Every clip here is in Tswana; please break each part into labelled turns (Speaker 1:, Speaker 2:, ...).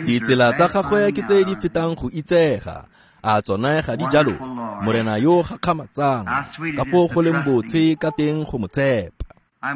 Speaker 1: Ditsela tsa gagwe ke tse di fetang go itsega. A tsone ga di jalo? Morena yo gakgamatsang, ka foo go leng botshe ka teng go mo tshepa.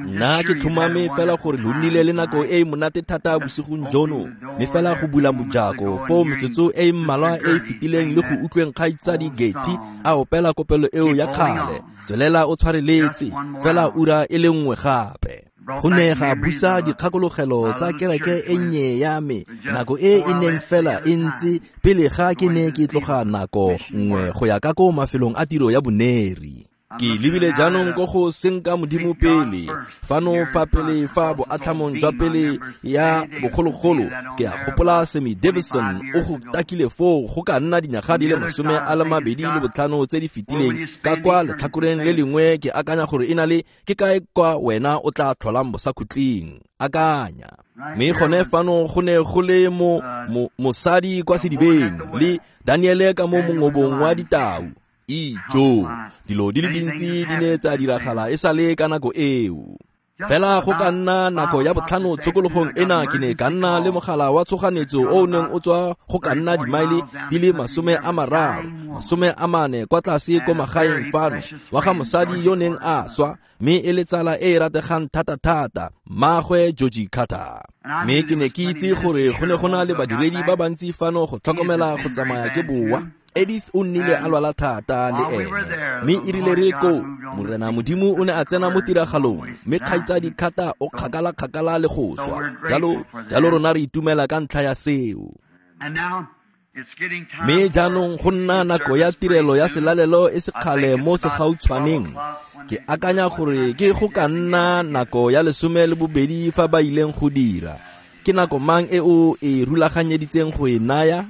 Speaker 1: Nna ke tlhomame fela gore lo nnile le nako e e monate thata bosigong jono, mme fela go bula mojako foo metsotso e e mmalwa e e fetileng le go utlweng kgaitsadi Getty a opela kopelo eo ya kgale, tswelela o tshwareletse fela ura e le nngwe gape. Go ne ga busa dikgakologelo tsa kereke e nnye ya me nako e e neng fela e ntse pele ga ke ne ke tloga nako nngwe go ya ka ko mafelong a tiro ya boneri. Ke lebile jaanong ko go senka Modimo pele fano fa pele fa boatlhamong jwa pele ya bogologolo. Ke a gopola Sammy Davison o go takile foo go ka nna dinyaga di le 25 tse di fetileng ka kwa letlhakoreng le lengwe. Ke akanya gore e na le ke kae kwa wena o tla tlholang bosakhutleng, akanya. Mme gone fano go ne go le mo mosadi kwa sedibeng le Daniele ka mo mongobong wa ditau. Ijo, dilo di le dintsi di ne tsa diragala e sale ka nako eo. Fela go ka nna nako ya 5 tshokologong ena ke ne ka nna le mogala wa tshoganetso o o neng o tswa go ka nna dimaele di le 30, 40 kwa tlase ko magaeng fano, wa ga mosadi yo neng a swa, mme e le tsala e e rategang thata-thata, mmaagwe Georgie Carter. Mme ke ne ke itse gore go ne go na le badiredi ba bantsi fano go tlhokomela go tsamaya ke boa. Edith o nnile a lwala thata le ene, mme e rile re le koo, Morena Modimo o ne a tsena mo tiragalong, mme kgaitsadi Carter o kgakala-kgakala le go swa. Jalo, jalo rona re itumela ka ntlha ya seo. Mme jaanong go nna nako ya tirelo ya selalelo e sekgale mo segautshwaneng. Ke akanya gore ke go ka nna nako ya 12 fa ba ileng go dira. Ke nako mang e o e rulaganyeditseng go e naya?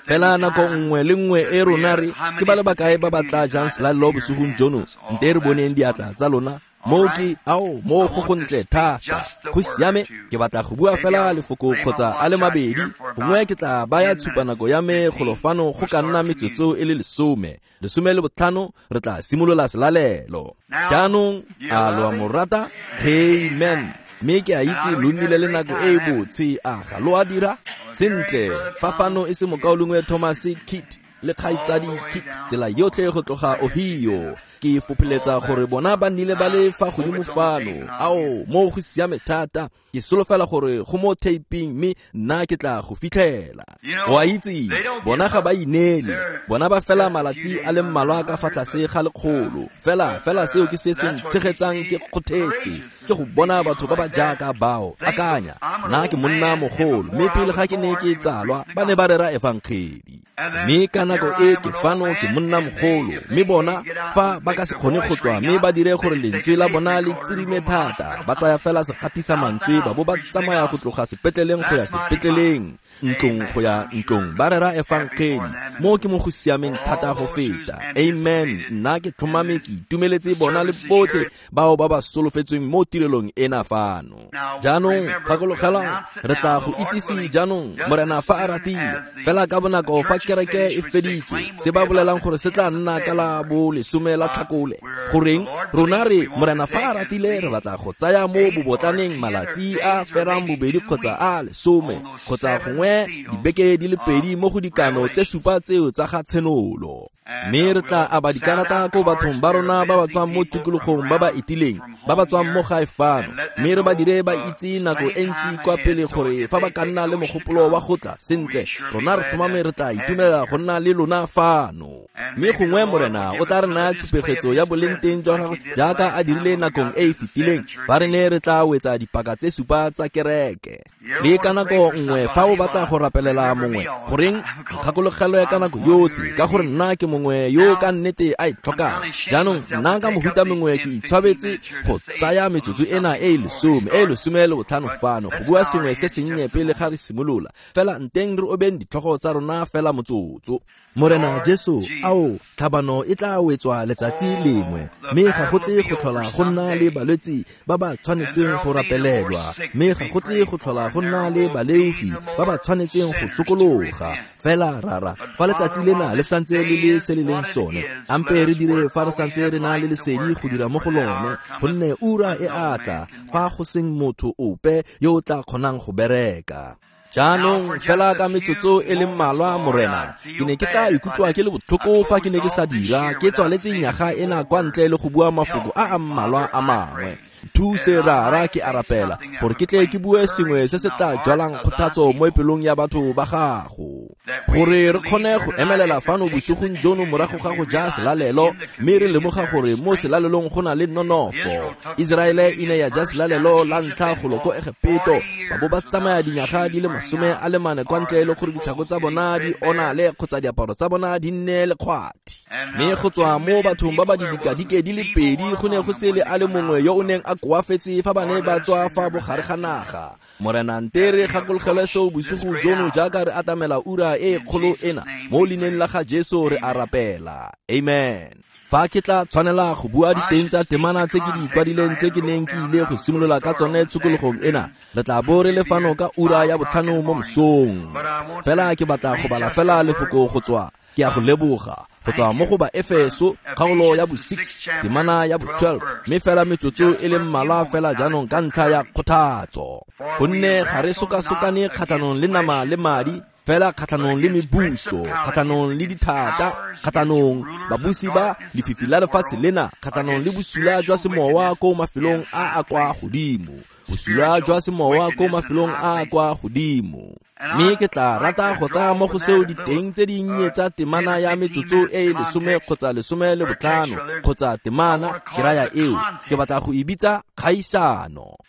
Speaker 1: Fela nako nngwe le nngwe e rona re ke ba le bakae ba ba tla jang selalelo bosigong jono, nte re boneng diatla tsa lona. Moo ke, ao, moo go gontle thata. Go siame, ke batla go bua fela lefoko kgotsa a le mabedi. Gongwe ke tla baya tshupanako ya me golo fano go ka nna metsotso e le 10, 15, re tla simolola selalelo. Jaanong, a lo a mo rata? Amen. Mme ke a itse lo nnile le nako e e botshe, a ga lo a dira? Sentle, fa fano e se mokaulengwe Thomas Kitt le kgaitsadi Kitt tsela yotlhe go tloga Ohio, ke fopholetsa gore bona ba nnile ba le fa godimo fano. Ao, moo go siame thata. Ke solofela gore go mo taping mme nna ke tla go fitlhela. O a itse, bona ga ba ineele, bona ba fela malatsi a le mmalwa ka fa tlase ga 100. Fela, fela seo ke se se ntshegetsang ke kgothetse, ke go bona batho ba ba jaaka bao. Akanya, nna ke monna mogolo, mme pele ga ke ne ke tsalwa, ba ne ba rera efangedi. Mme ka nako e ke fano ke monna mogolo, mme bona fa ba ka se kgone go tswa mme ba dire gore lentswe la bona le tsirime thata, ba tsaya fela segatisa mantswe ba bo ba tsamaya go tloga sepetleleng go ya sepetleleng, ntlong go ya ntlong, ba rera efangedi. Moo ke mo go siameng thata go feta. Amen. Nna ke tlhomame ke itumeletse bona le botlhe bao ba ba solofetsweng mo tirelong ena fano. Jaanong gakologelwang, re tla go itsise jaanong, Morena fa a ratile, fela ka bonako fa kereke e feditswe, se ba bolelang gore se tla nna ka la bo 10 la Tlhakole. Goreng rona re, Morena fa a ratile, re batla go tsaya mo bobotlaneng malatsi a ferang bobedi kgotsa a 10 kgotsa gongwe dibeke di le 2 mo go dikano tse 7 tseo tsa ga Tshenolo. Mme re tla aba dikarata ko bathong ba rona ba ba tswang mo tikologong ba ba etileng, ba ba tswang mo gae fano, mme re ba dire ba itse nako e ntsi kwa pele gore fa ba ka nna le mogopolo wa go tla, sentle, rona re tlhomame re tla itumelela go nna le lona fano. Mme gongwe Morena o tla re naya tshupegetso ya boleng teng jwa gagwe jaaka a dirile nakong e e fetileng, fa re ne re tla wetsa dipaka tse 7 tsa kereke. Le ka nako nngwe fa o batla go rapelela mongwe, goreng nkgakologelwe ka nako yotlhe, ka gore nna ke mongwe yo ka nnete a e tlhokang. Jaanong nna ka mohuta mongwe ke itshwabetse go tsaya metsotso ena e e 10, e e 15 fano go bua sengwe se sennye pele ga re simolola. Fela nteng re obeng ditlhogo tsa rona fela motsotso. Morena Jesu, ao, tlhabano e tla wetswa letsatsi lengwe, mme ga go tle go tlhola go nna le balwetsi ba ba tshwanetseng go rapelelwa, mme ga go tle go tlhola go nna le baleofi ba ba tshwanetseng go sokologa. Fela rara, fa letsatsi lena le santse le le se le leng sone, ampe re dire fa re santse re na le lesedi go dira mo go lone, gonne ura e a tla fa go seng motho ope yo o tla kgonang go bereka. Jaanong fela ka metsotso e le mmalwa, Morena, ke ne ke tla ikutlwa ke le botlhoko fa ke ne ke sa dira ke tswaletse nyaga ena kwa ntle le go bua mafoko a a mmalwa a mangwe. Thuse Rara, ke a rapela gore ke tle ke bue sengwe se se tla jwalang kgothatso mo pelong ya batho ba gago, gore re kgone go emelela fano bosigong jono morago ga go ja selalelo, mme re lemoga gore mo selalelong go na le nonofo. Iseraele e ne ya ja selalelo la ntlha golo ko Egepeto, ba bo ba tsamaya dinyaga di le 44 kwa ntle le gore ditlhako tsa bona di onale kgotsa diaparo tsa bona di nne lekgwathi. Mme go tswa mo bathong ba ba didikadike di le pedi go ne go se le a le mongwe yo o neng a koafetse fa ba ne ba tswa fa bogare ga naga. Morena, nte re gakologelwe seo bosigo jono jaaka re atamela ura e kgolo ena. Mo leineng la ga Jesu re a rapela. Amen. Fa ke tla tshwanela go bua diteng tsa temana tse ke di kwadileng tse ke neng ke ile go simolola ka tsone tshokologong ena, re tla bo re le fano ka ura ya 5 mo mosong. Fela ke batla go bala fela lefoko go tswa, ke a go leboga, go tswa mo go ba Efeso kgaolo ya bo 6 temana ya bo 12, mme fela metsotso e le mmalwa fela jaanong ka ntlha ya kgothatso. Gonne ga re sokasokane kgatlhanong le nama le madi, fela kgatlhanong le mebuso, kgatlhanong le dithata, kgatlhanong babusi ba lefifi la lefatshe lena, kgatlhanong le bosula jwa semowa ko mafelong a a kwa godimo, bosula jwa semowa ko mafelong a a kwa godimo. Mme ke tla rata go tsaya mo go seo diteng tse dinnye tsa temana ya metsotso e e 10 kgotsa 15 kgotsa temana, ke raya eo, ke batla go e bitsa kgaisano.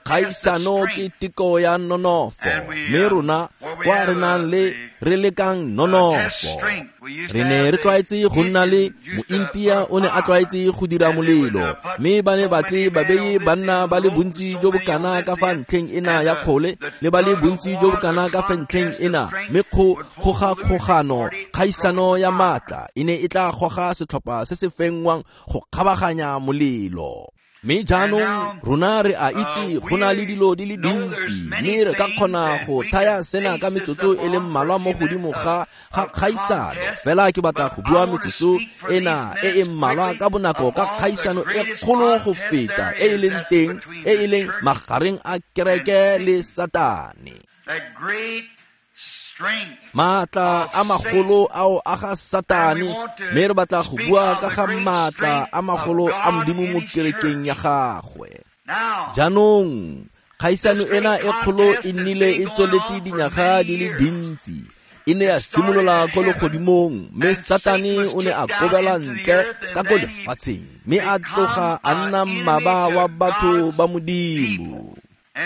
Speaker 1: Kgaisano ke teko ya nonofo, mme rona kwa re nang le re lekang nonofo. Re ne re tlwaetse go nna le Mointia o ne a tlwaetse go dira molelo, mme ba ne batle ba beye banna ba le bontsi jo bokana ka fa ntlheng ena ya kgole le ba le bontsi jo bokana ka fa ntlheng ena, mme kgogakgogano, kgaisano ya maatla e ne e tla goga setlhopha se se fenngwang go kgabaganya molelo. Mme jaanong rona re a itse go na le dilo di le dintsi, mme re ka kgona go thaya sena ka metsotso e le mmalwa mo godimo ga kgaisano. Fela ke batla go bua metsotso ena e e mmalwa ka bonako ka kgaisano e kgolo go feta e e leng teng, e e leng magareng a kereke le Satane. Maatla a magolo ao a ga Satane, mme re batla go bua ka ga maatla a magolo a Modimo mo kerekeng ya gagwe. Jaanong kgaisano ena e kgolo e nnile e tsweletse dinyaga di le dintsi. E ne ya simolola ko legodimong, mme Satane o ne a kobela ntle ka ko lefatsheng, mme a tloga a nna mmaba wa batho ba Modimo.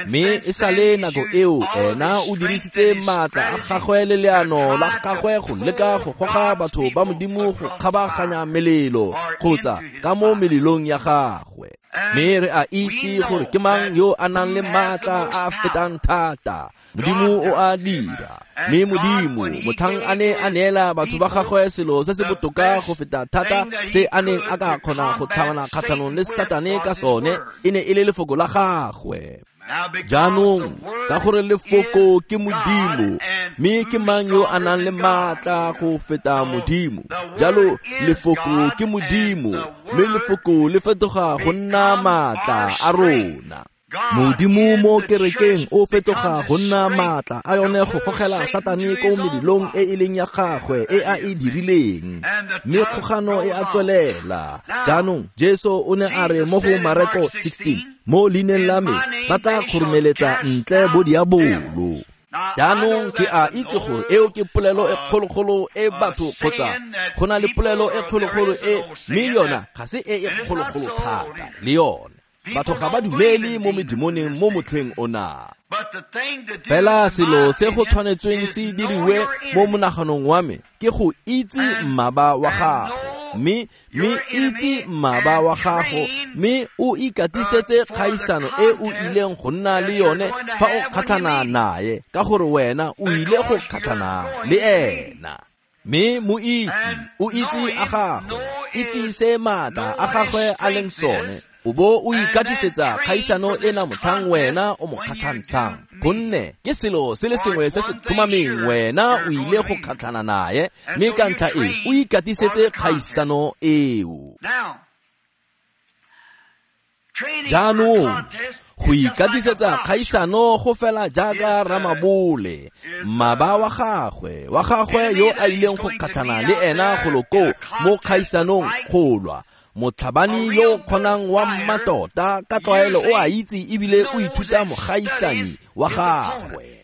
Speaker 1: Mme e sale nako eo ena o dirisitse maatla a gagwe le leano la gagwe go leka go goga batho ba Modimo go kgabaganya melelo kgotsa ka mo melelong ya gagwe. Mme re a itse gore ke mang yo a nang le maatla a a fetang thata. Modimo o a dira. Mme Modimo motlhang a ne a neela batho ba gagwe selo se se botoka go feta thata se a neng a ka kgona go tlhabana kgatlhanong le Satane ka sone, e ne e le lefoko la gagwe. Jaanong ka gore lefoko ke Modimo, mme ke mang yo a nang le maatla go feta Modimo? Jalo lefoko ke Modimo, mme lefoko le fetoga go nna maatla a rona. Modimo mo kerekeng o fetoga go nna maatla a yone go gogela Satane ko melelong e e leng ya gagwe e a e dirileng, mme kgogano e a tswelela. Jaanong Jesu o ne a re mo go Mareko 16, mo leineng la me ba tla kgoromeletsa ntle bo diabolo. Jaanong ke a itse gore eo ke polelo e kgologolo e batho kgotsa go na le polelo e kgologolo e, mme yona ga se e e kgologolo thata le yone. Batho ga ba dumele mo medimoneng mo motlheng ona. Fela selo se go tshwanetsweng se diriwe mo monaganong wa me ke go itse mmaba wa gago, mme itse mmaba wa gago, mme o ikatisetse kgaisano e o ileng go nna le yone fa o kgatlhana naye, ka gore wena o ile go kgatlhana le ena. Mme mo itse, o itse a gagwe, itse se maatla a gagwe a leng sone, o bo o ikatisetsa kgaisano ena motlhang wena o mo kgatlhantshang, gonne ke selo se le sengwe se se tlhomameng wena o ile go kgatlhana naye, mme ka ntlha e o ikatisetse kgaisano eo. Jaanong go ikatisetsa kgaisano go fela jaaka ramabole, mmaba wa gagwe yo a ileng go kgatlhana le ena golo koo mo kgaisanong go lwa. Motlhabani yo kgonang wa mmatota ka tlwaelo o a itse ebile o ithuta mogaisanyi wa gagwe.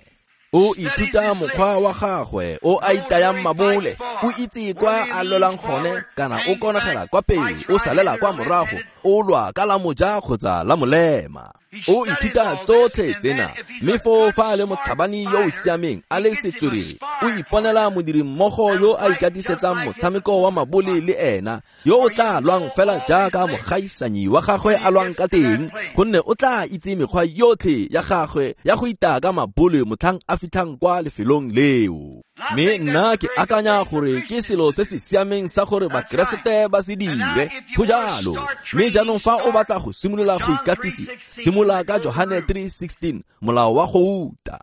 Speaker 1: O ithuta mokgwa wa gagwe o a itayang mabole, o itse kwa a lwelang gone kana o konegela kwa pele, o salela kwa morago, o lwa ka la moja kgotsa la molema. O ithuta tsotlhe tsena, mme foo fa a le motlhabani yo o siameng a le setswerere, o iponela modirimmogo yo a ikatisetsang motshameko wa mabole le ena, yo o tla lwang fela jaaka mogaisanyi wa gagwe a lwang ka teng, gonne o tla itse mekgwa yotlhe ya gagwe ya go itaya ka mabole motlhang a fitlhang kwa lefelong leo. Mme nna ke akanya gore ke selo se se siameng sa gore Bakeresete ba se dire, go jalo. Mme jaanong fa o batla go simolola go ikatisa, simolola ka Johane 3:16, molao wa gouta.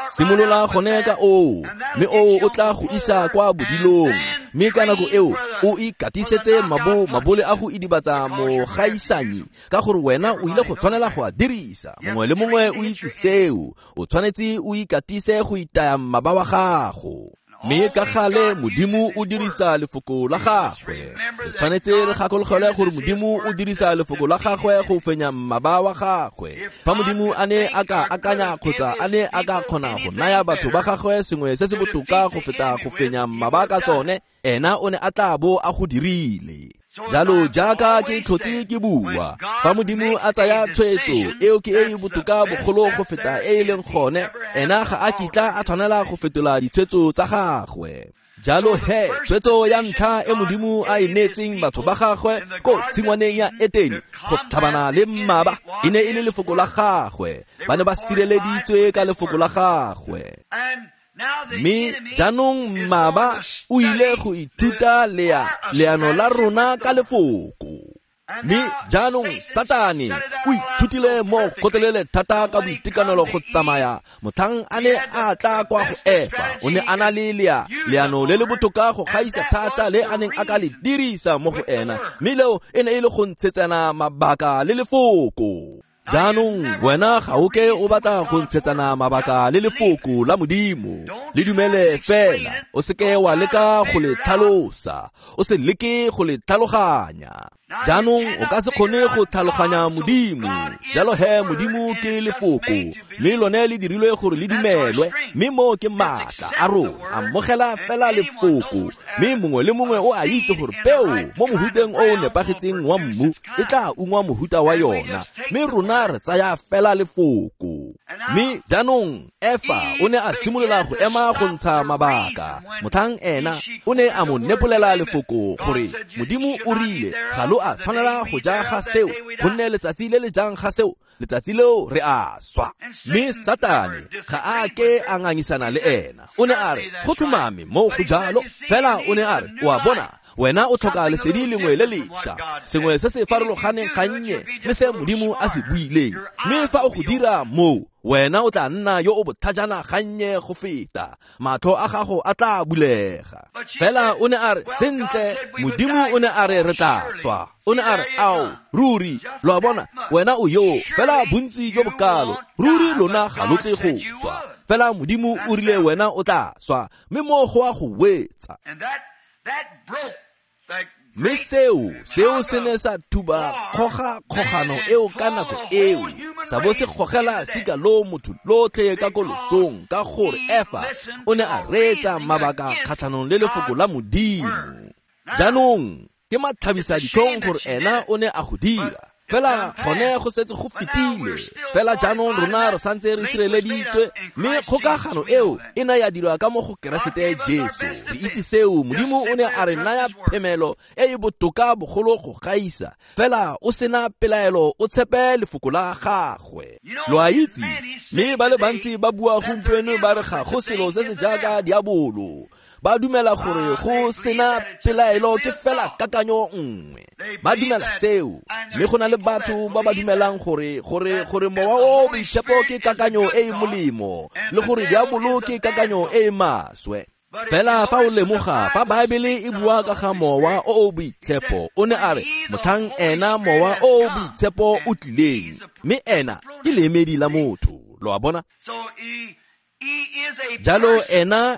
Speaker 1: Simolola gone ka oo, mme oo o tla go isa kwa bodilong. Mme ka nako eo o ikatisetse mabole a go idibatsa mogaisanyi, ka gore wena o ile go tshwanela go a dirisa. Mongwe le mongwe o itse seo, o tshwanetse o ikatise go itaya mmaba wa gago. Mme ka gale Modimo o dirisa lefoko la gagwe. Re tshwanetse re gakologelwe gore Modimo o dirisa lefoko la gagwe go fenya mmaba wa gagwe. Fa Modimo a ne a ka akanya kgotsa a ne a ka kgona go naya batho ba gagwe sengwe se se botoka go feta go fenya mmaba ka sone, ena o ne a tla bo a go dirile. Jalo jaaka ke tlhotse ke bua, fa Modimo a tsaya tshwetso eo ke e e botoka bogolo go feta e e leng gone, ena ga a kitla a tshwanela go fetola ditshwetso tsa gagwe. Jalo he, tshwetso ya ntlha e Modimo a e neetseng batho ba gagwe ko tshingwaneng ya Etene go tlhabana le mmaba e ne e le lefoko la gagwe. Ba ne ba sireleditswe ka lefoko la gagwe. Mme jaanong mmaba o ile go ithuta leano la rona ka lefoko. Mme jaanong Satane o ithutile mo gotelele thata ka boitekanelo go tsamaya motlhang a ne a tla kwa go Efa. O ne a na le leano le le botoka go gaisa thata le a neng a ka le dirisa mo go ena, mme leo e ne e le go ntshetsana mabaka le lefoko. Jaanong wena ga o ke o batla go ntshetsana mabaka le lefoko la Modimo. Le dumele fela, o seke wa leka go le tlhalosa, o se leke go le tlhaloganya. Jaanong o ka se kgone go tlhaloganya Modimo. Jalo he Modimo ke lefoko, mme lone le dirilwe gore le dumelwe, mme mo ke maatla a rona. Amogela fela lefoko, mme mongwe le mongwe o a itse gore peo mo mohuteng o o nepagetseng wa mmu e tla ungwa mohuta wa yona, mme rona re tsaya fela lefoko. Mme jaanong Efa o ne a simolola go ema go ntsha mabaka. Motlhang ena o ne a mo nepolela lefoko gore Modimo o rile ga lo a tshwanela go ja ga seo, gonne letsatsi le le jang ga seo, letsatsi leo re a swa. Mme Satane ga a ke a ngangisana le ena. O ne a re go tlhomame mo go jalo, fela o ne a re o a bona, wena o tlhoka lesedi lengwe le lešwa, sengwe se se farologaneng gannye le se Modimo a se buileng. Mme fa o go dira moo, wena o tla nna yo o botlhajana gannye go feta, matlho a gago a tla bulega. Fela o ne a re sentle, Modimo o ne a re re tla swa. O ne a re ao, ruri, lo a bona, wena o yo fela bontsi jo bokalo, ruri lona ga lo tle go swa. Fela Modimo o rile wena o tla swa, mme mo go a go wetsa. Mme seo se ne sa thuba kgogakgogano eo ka nako eo, sa bo se gogela sika lo motho lotlhe ka kolosong, ka gore Efa o ne a reetsa mabaka kgatlhanong le lefoko la Modimo. Jaanong ke matlhabisa ditlhong gore ena o ne a go dira, fela gone go setse go fetile. Fela jaanong rona re santse re sireleditswe, mme kgokagano eo e ne ya dirwa ka mo go Keresete Jesu. Re itse seo, Modimo o ne a re naya phemelo e e botoka bogolo go gaisa. Fela o sena pelaelo, o tshepe lefoko la gagwe. Lo a itse, mme ba le bantsi ba bua gompieno ba re ga go selo se se jaaka diabolo. Ba dumela gore go sena pelaelo ke fela kakanyo nngwe. Ba dumela seo, mme go na le batho ba ba dumelang gore mowa o boitshepo ke kakanyo e e molemo, le gore diabolo ke kakanyo e e maswe. Fela fa o lemoga fa Baebele e bua ka ga Mowa o o Boitshepo, o ne a re motlhang ena Mowa o o Boitshepo o tlileng, mme ena ke leemedi la motho, lo a bona? Jalo ena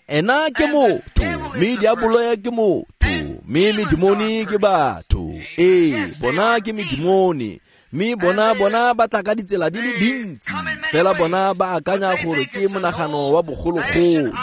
Speaker 1: ke motho, mme diabolo ke motho, mme medimoni ke batho. Ee, bona ke medimoni, mme bona ba tla ka ditsela di le dintsi, fela bona ba akanya gore ke monagano wa bogologolo.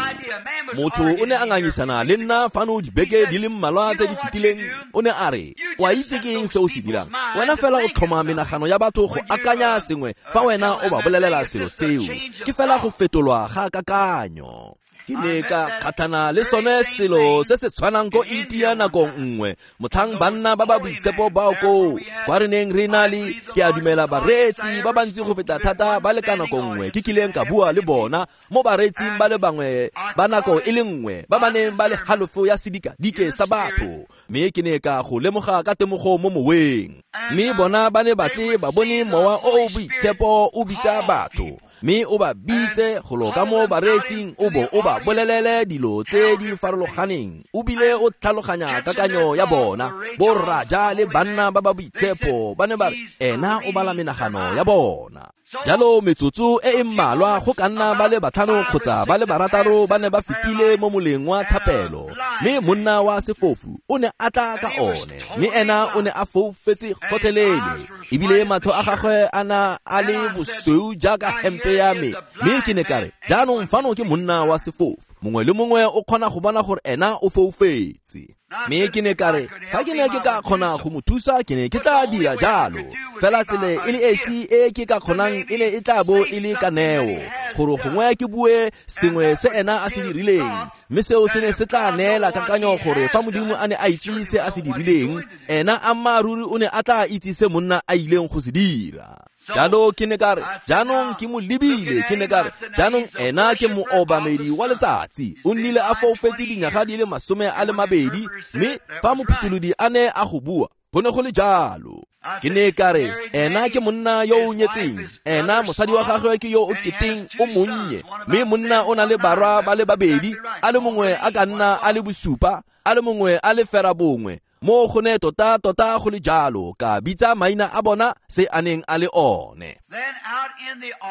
Speaker 1: Motho o ne a ngangisana le nna fano dibeke di le mmalwa tse di fetileng, o ne a re, wa itse ke eng se o se dirang? Wena fela o tlhoma menagano ya batho go akanya sengwe fa wena o ba bolelela selo seo. Ke fela go fetolwa ga kakanyo. Ke ne ka kgatlhana le sone selo se se tshwanang ko India nako nngwe, motlhang banna ba ba boitshepo bao koo, kwa re neng re na le, ke a dumela bareetsi ba bantsi go feta thata ba le ka nako nngwe ke kileng ka bua le bona, mo bareetsing ba le bangwe ba nako e le nngwe ba ba neng ba le halofo ya sedikadike sa batho, mme ke ne ka go lemoga ka temogo mo moweng. Mme bona ba ne batle ba bone Mowa o o Boitshepo o bitsa batho, mme o ba bitse go lo ka mo bareetsing, o bo o ba bolelele dilo tse di farologaneng, o bile o tlhaloganya kakanyo ya bona. Borraja le banna ba ba boitshepo ba ne ba re ena o bala menagano ya bona. Jalo metsotso e e mmalwa go ka nna ba le batlhano kgotsa ba le barataro ba ne ba fetile mo moleng wa thapelo, mme monna wa sefofu o ne a tla ka one, mme ena o ne a foufetse gotlhelele, ebile matlho a gagwe a na a le bosweu jaaka hempe ya me. Mme ke ne ka re, jaanong fano ke monna wa sefofu, mongwe le mongwe o kgona go bona gore ena o foufetse. Mme ke ne ka re, fa ke ne ke ka kgona go mo thusa, ke ne ke tla dira jalo. Fela tsela e le esi e ke ka kgonang e ne e tla bo e le ka neo, gore gongwe ke bue sengwe se ena a se dirileng, mme seo se ne se tla neela kakanyo gore fa Modimo a ne a itse se a se dirileng, ena ammaaruri o ne a tla itse se monna a ileng go se dira. Jalo ke ne ka re, jaanong ke mo lebile, ke ne ka re, jaanong ena ke moobamedi wa letsatsi, o nnile a foufetse dinyaga di le 20, mme fa mophutholodi a ne a go bua, go ne go le jalo. Ke ne ka re, ena ke monna yo o nyetseng, ena mosadi wa gagwe ke yo o keteng o monnye, mme monna o na le barwa ba le babedi, a le mongwe a ka nna a le bosupa, a le mongwe a le ferabongwe. Mo go ne tota tota go le jalo, ka bitsa maina a bona se a neng a le one.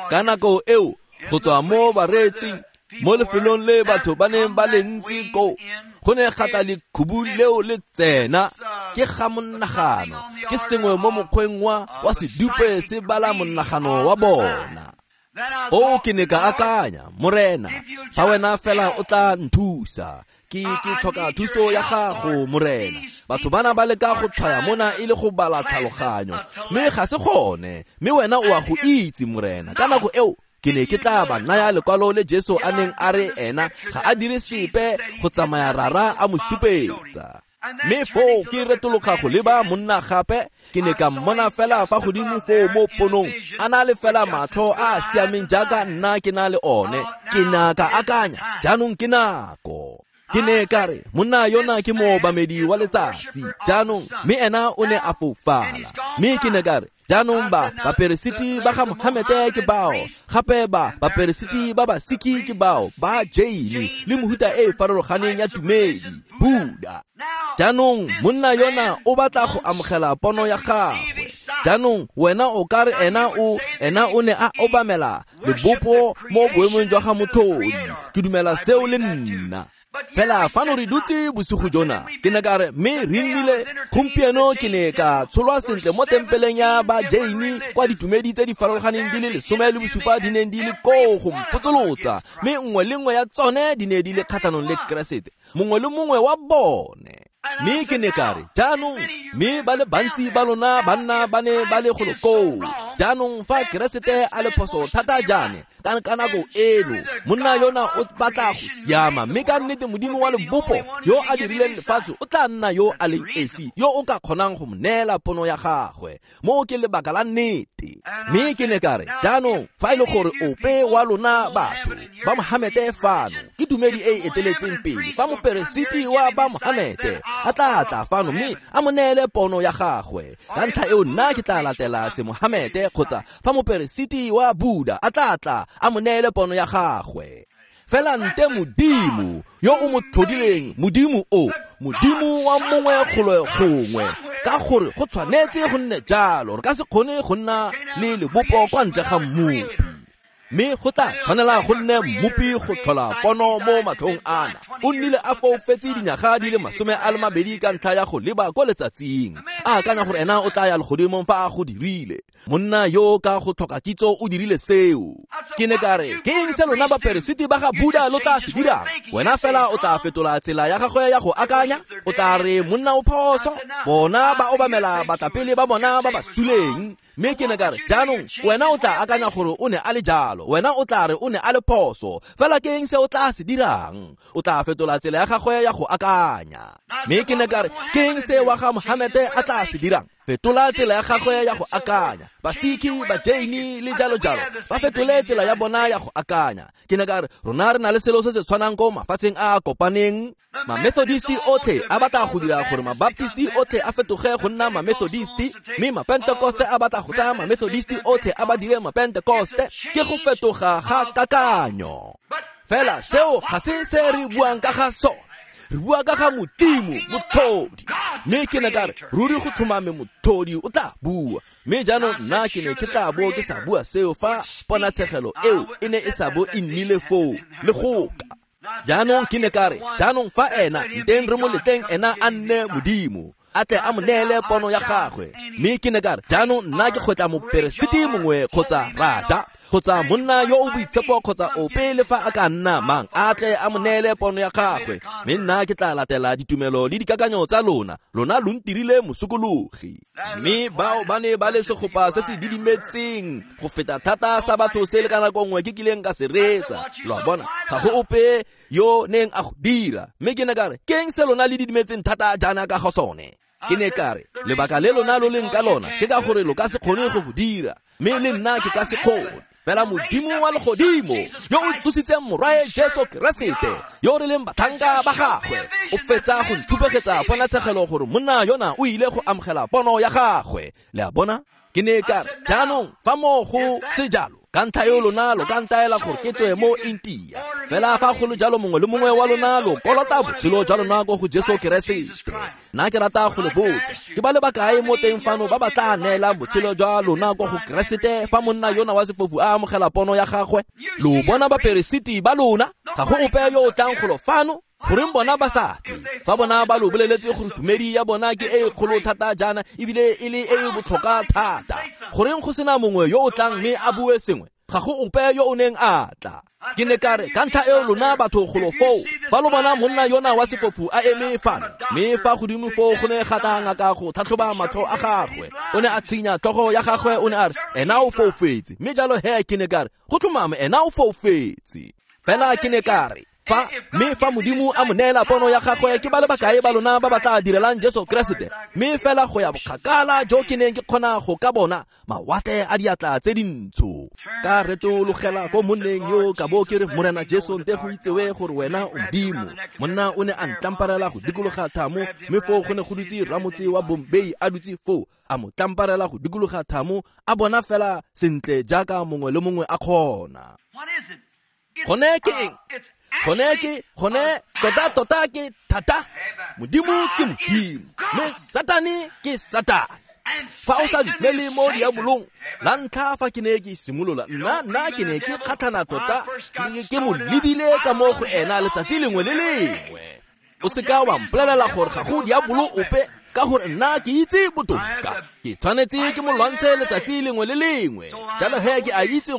Speaker 1: Ka nako eo, go tswa mo bareetsing, mo lefelong le batho ba neng ba le ntsi koo, go ne ga tla lekhubu leo le tsena, ke ga monagano, ke sengwe mo mokgweng wa sedupe se bala monagano wa bona. Foo ke ne ka akanya, Morena, fa wena fela o tla nthusa, ke tlhoka thuso ya gago, Morena. Batho bana ba leka go tshwaya mona e le go bala tlhaloganyo, mme ga se gone, mme wena o a go itse, Morena. Ka nako eo ke ne ke tla ba naya lekwalo le Jesu a neng a re ena ga a dire sepe go tsamaya rara a mo supetsa. Mme foo ke retologa go leba monna gape, ke ne ka mmona fela fa godimo foo mo ponong, a na le fela matlho a a siameng jaaka nna ke na le one. Ke na ka akanya, jaanong ke nako. Ke ne ka re, monna yona ke moobamedi wa letsatsi, jaanong, mme ena o ne a foufala. Mme ke ne ka re, jaanong ba baperesiti ba ga Mohamete ke bao, gape ba baperesiti ba Basiki ke bao, ba Jaini le mohuta e e farologaneng ya tumedi, Buddha. Jaanong monna yona o batla go amogela pono ya gagwe. Jaanong wena o ka re ena o ne a obamela lebopo mo boemong jwa ga motlhodi. Ke dumela seo le nna. Fela fano re dutse bosigo jona, ke ne ka re, mme re nnile gompieno ke ne ka tsholwa sentle mo tempeleng ya ba Jaini, kwa ditumedi tse di farologaneng di le 17 di neng di le koo go mpotsolotsa, mme nngwe le nngwe ya tsone di ne di le kgatlhanong le Keresete, mongwe le mongwe wa bone. Mme ke ne ka re, jaanong, mme ba le bantsi ba lona banna ba ne ba le golo koo. Jaanong fa Keresete a le phoso thata jaane, ka nako eno, monna yona o batla go siama, mme ka nnete Modimo wa lebopo yo a dirileng lefatshe o tla nna yo a leng esi, yo o ka kgonang go mo neela pono ya gagwe. Mo ke lebaka la nnete. Mme ke ne ka re, jaanong fa e le gore ope wa lona batho ba Mohamete fano, ke tumedi e e eteletseng pele, fa moperesiti wa ba Mohamete a tla tla fano mme a mo neele pono ya gagwe, ka ntlha eo nna ke tla latela se Mohamete, kgotsa fa moperesiti wa Buddha a tla tla a mo neele pono ya gagwe. Fela nte Modimo yo o mo tlhodileng, Modimo o, Modimo wa mongwe golo gongwe, ka gore go tshwanetse go nne jalo, re ka se kgone go nna le lebopo kwa ntle ga mmopi. Mme go tla tshwanela go nne mmopi go tlhola pono mo matlhong ana. O nnile a foufetse dinyaga di le 22 ka ntlha ya go leba ko letsatsing, a akanya gore ena o tla ya legodimong fa a go dirile. Monna yo ka go tlhoka kitso o dirile seo. Ke ne ka re, ke eng se lona baperesiti ba ga Buddha lo tla se dirang? Wena fela o tla fetola tsela ya gagwe ya go akanya, o tla re monna o phoso, bona ba obamela batlapele ba bona ba ba suleng. Mme ke ne ka re, jaanong wena o tla akanya gore o ne a le jalo, wena o tla re o ne a le phoso, fela ke eng se o tla se dirang? O tla fetola tsela ya gagwe ya go akanya. Mme ke ne ka re, ke eng se wa ga Mohamede a tla se dirang? Fetola tsela ya gagwe ya go akanya. Basikhi, Bajaini le jalo jalo ba fetole tsela ya bona ya go akanya. Ke ne ka re, rona re na le selo se se tshwanang ko mafatsheng a a kopaneng. Mamethodisti otlhe a batla go dira gore Mabaptisti otlhe a fetoge go nna Mamethodisti, mme Mapentekoste a batla go tsaya Mamethodisti otlhe a ba dire Mapentekoste. Ke go fetoga ga kakanyo. Fela seo ga se se re buang ka ga sone. Re bua ka ga Modimo, motlhodi. Mme ke ne ka re, ruri go tlhomame motlhodi o tla bua. Mme jaanong nna ke ne ke tla bo ke sa bua seo fa ponatshegelo eo e ne e sa bo e nnile foo le goka. Jaanong ke ne ka re, jaanong fa ena nteng re mo leteng ena a nne Modimo, a tle a mo neele pono ya gagwe. Mme ke ne ka re, jaanong nna ke kgotla moperesiti mongwe kgotsa raja kgotsa monna yo o boitshepo kgotsa ope le fa a ka nna mang, a tle a mo neele pono ya gagwe. Mme nna ke tla latela ditumelo le dikakanyo tsa lona, lona lo ntirile mosokologi. Mme bao ba ne ba le segopa se se didimetseng go feta thata sa batho se le ka nako nngwe ke kileng ka se reetsa. Lo a bona, ga go ope yo neng a go dira. Mme ke ne ka re, ke eng se lona le didimetseng thata jaana ka go sone? Ke ne ka re, lebaka le lona lo leng ka lona ke ka gore lo ka se kgone go go dira, mme le nna ke ka se kgone. Fela Modimo wa legodimo yo o tsositseng morwae Jesu Keresete, yo re leng batlhanka ba gagwe, o fetsa go ntshupegetsa ponatshegelo gore monna yona o ile go amogela pono ya gagwe. Le a bona? Ke ne ka re, jaanong fa mo go se jalo, ka ntlha eo lona lo ka ntaela gore ke tswe mo Intia. Fela fa go le jalo mongwe le mongwe wa lona lo kolota botshelo jwa lona ko go Jesu Keresete. Nna ke rata go le botsa, ke ba le bakae mo teng fano ba ba tla neelang botshelo jwa lona ko go Keresete fa monna yona wa sefofu a amogela pono ya gagwe? Lo bona baperesiti ba lona, ga go ope yo o tlang golo fano. Goreng bona ba sa tle? Fa bona ba lo boleletse gore tumedi ya bona ke e kgolo thata jaana ebile e le e e botlhokwa thata, goreng go sena mongwe yo o tlang mme a bue sengwe? Ga go ope yo o neng a tla. Ke ne ka re, ka ntlha eo lona batho golo foo, fa lo bona monna yona wa sefofu a eme fano, mme fa godimo foo go ne ga tla ngaka go tlhatlhoba matlho a gagwe, o ne a tshinya tlhogo ya gagwe, o ne a re, ena o foufetse. Mme jalo he ke ne ka re, go tlhomame ena o foufetse. Fela ke ne ka re, fa mme fa Modimo a mo neela pono ya gagwe, ke ba le bakae ba lona ba ba tla direlang Jesu Keresete? Mme fela go ya bokgakala jo ke neng ke kgona go ka bona mawatle a diatla tse dintsho, ka retologela ko monneng yo ka bo ke re, Morena Jesu, nte go itsewe gore wena o Modimo. Monna o ne a ntlamparela go dikologa thamo, mme foo go ne go dutse ramotse wa Bombay a dutse foo, a mo tlamparela go dikologa thamo, a bona fela sentle jaaka mongwe le mongwe a kgona. Gone ke eng? Gone ke, gone tota tota ke thata. Modimo ke Modimo, mme Satane ke Satane. Fa o sa dumele mo diabolong, la ntlha fa ke ne ke simolola, nna ke ne ke kgatlhana tota, ke mo lebile ka mo go ena letsatsi lengwe le lengwe. O seka wa mpolelela gore ga go diabolo ope, ka gore nna ke itse botoka. Ke tshwanetse ke mo lwantshe letsatsi lengwe le lengwe. Jalo he ke a itse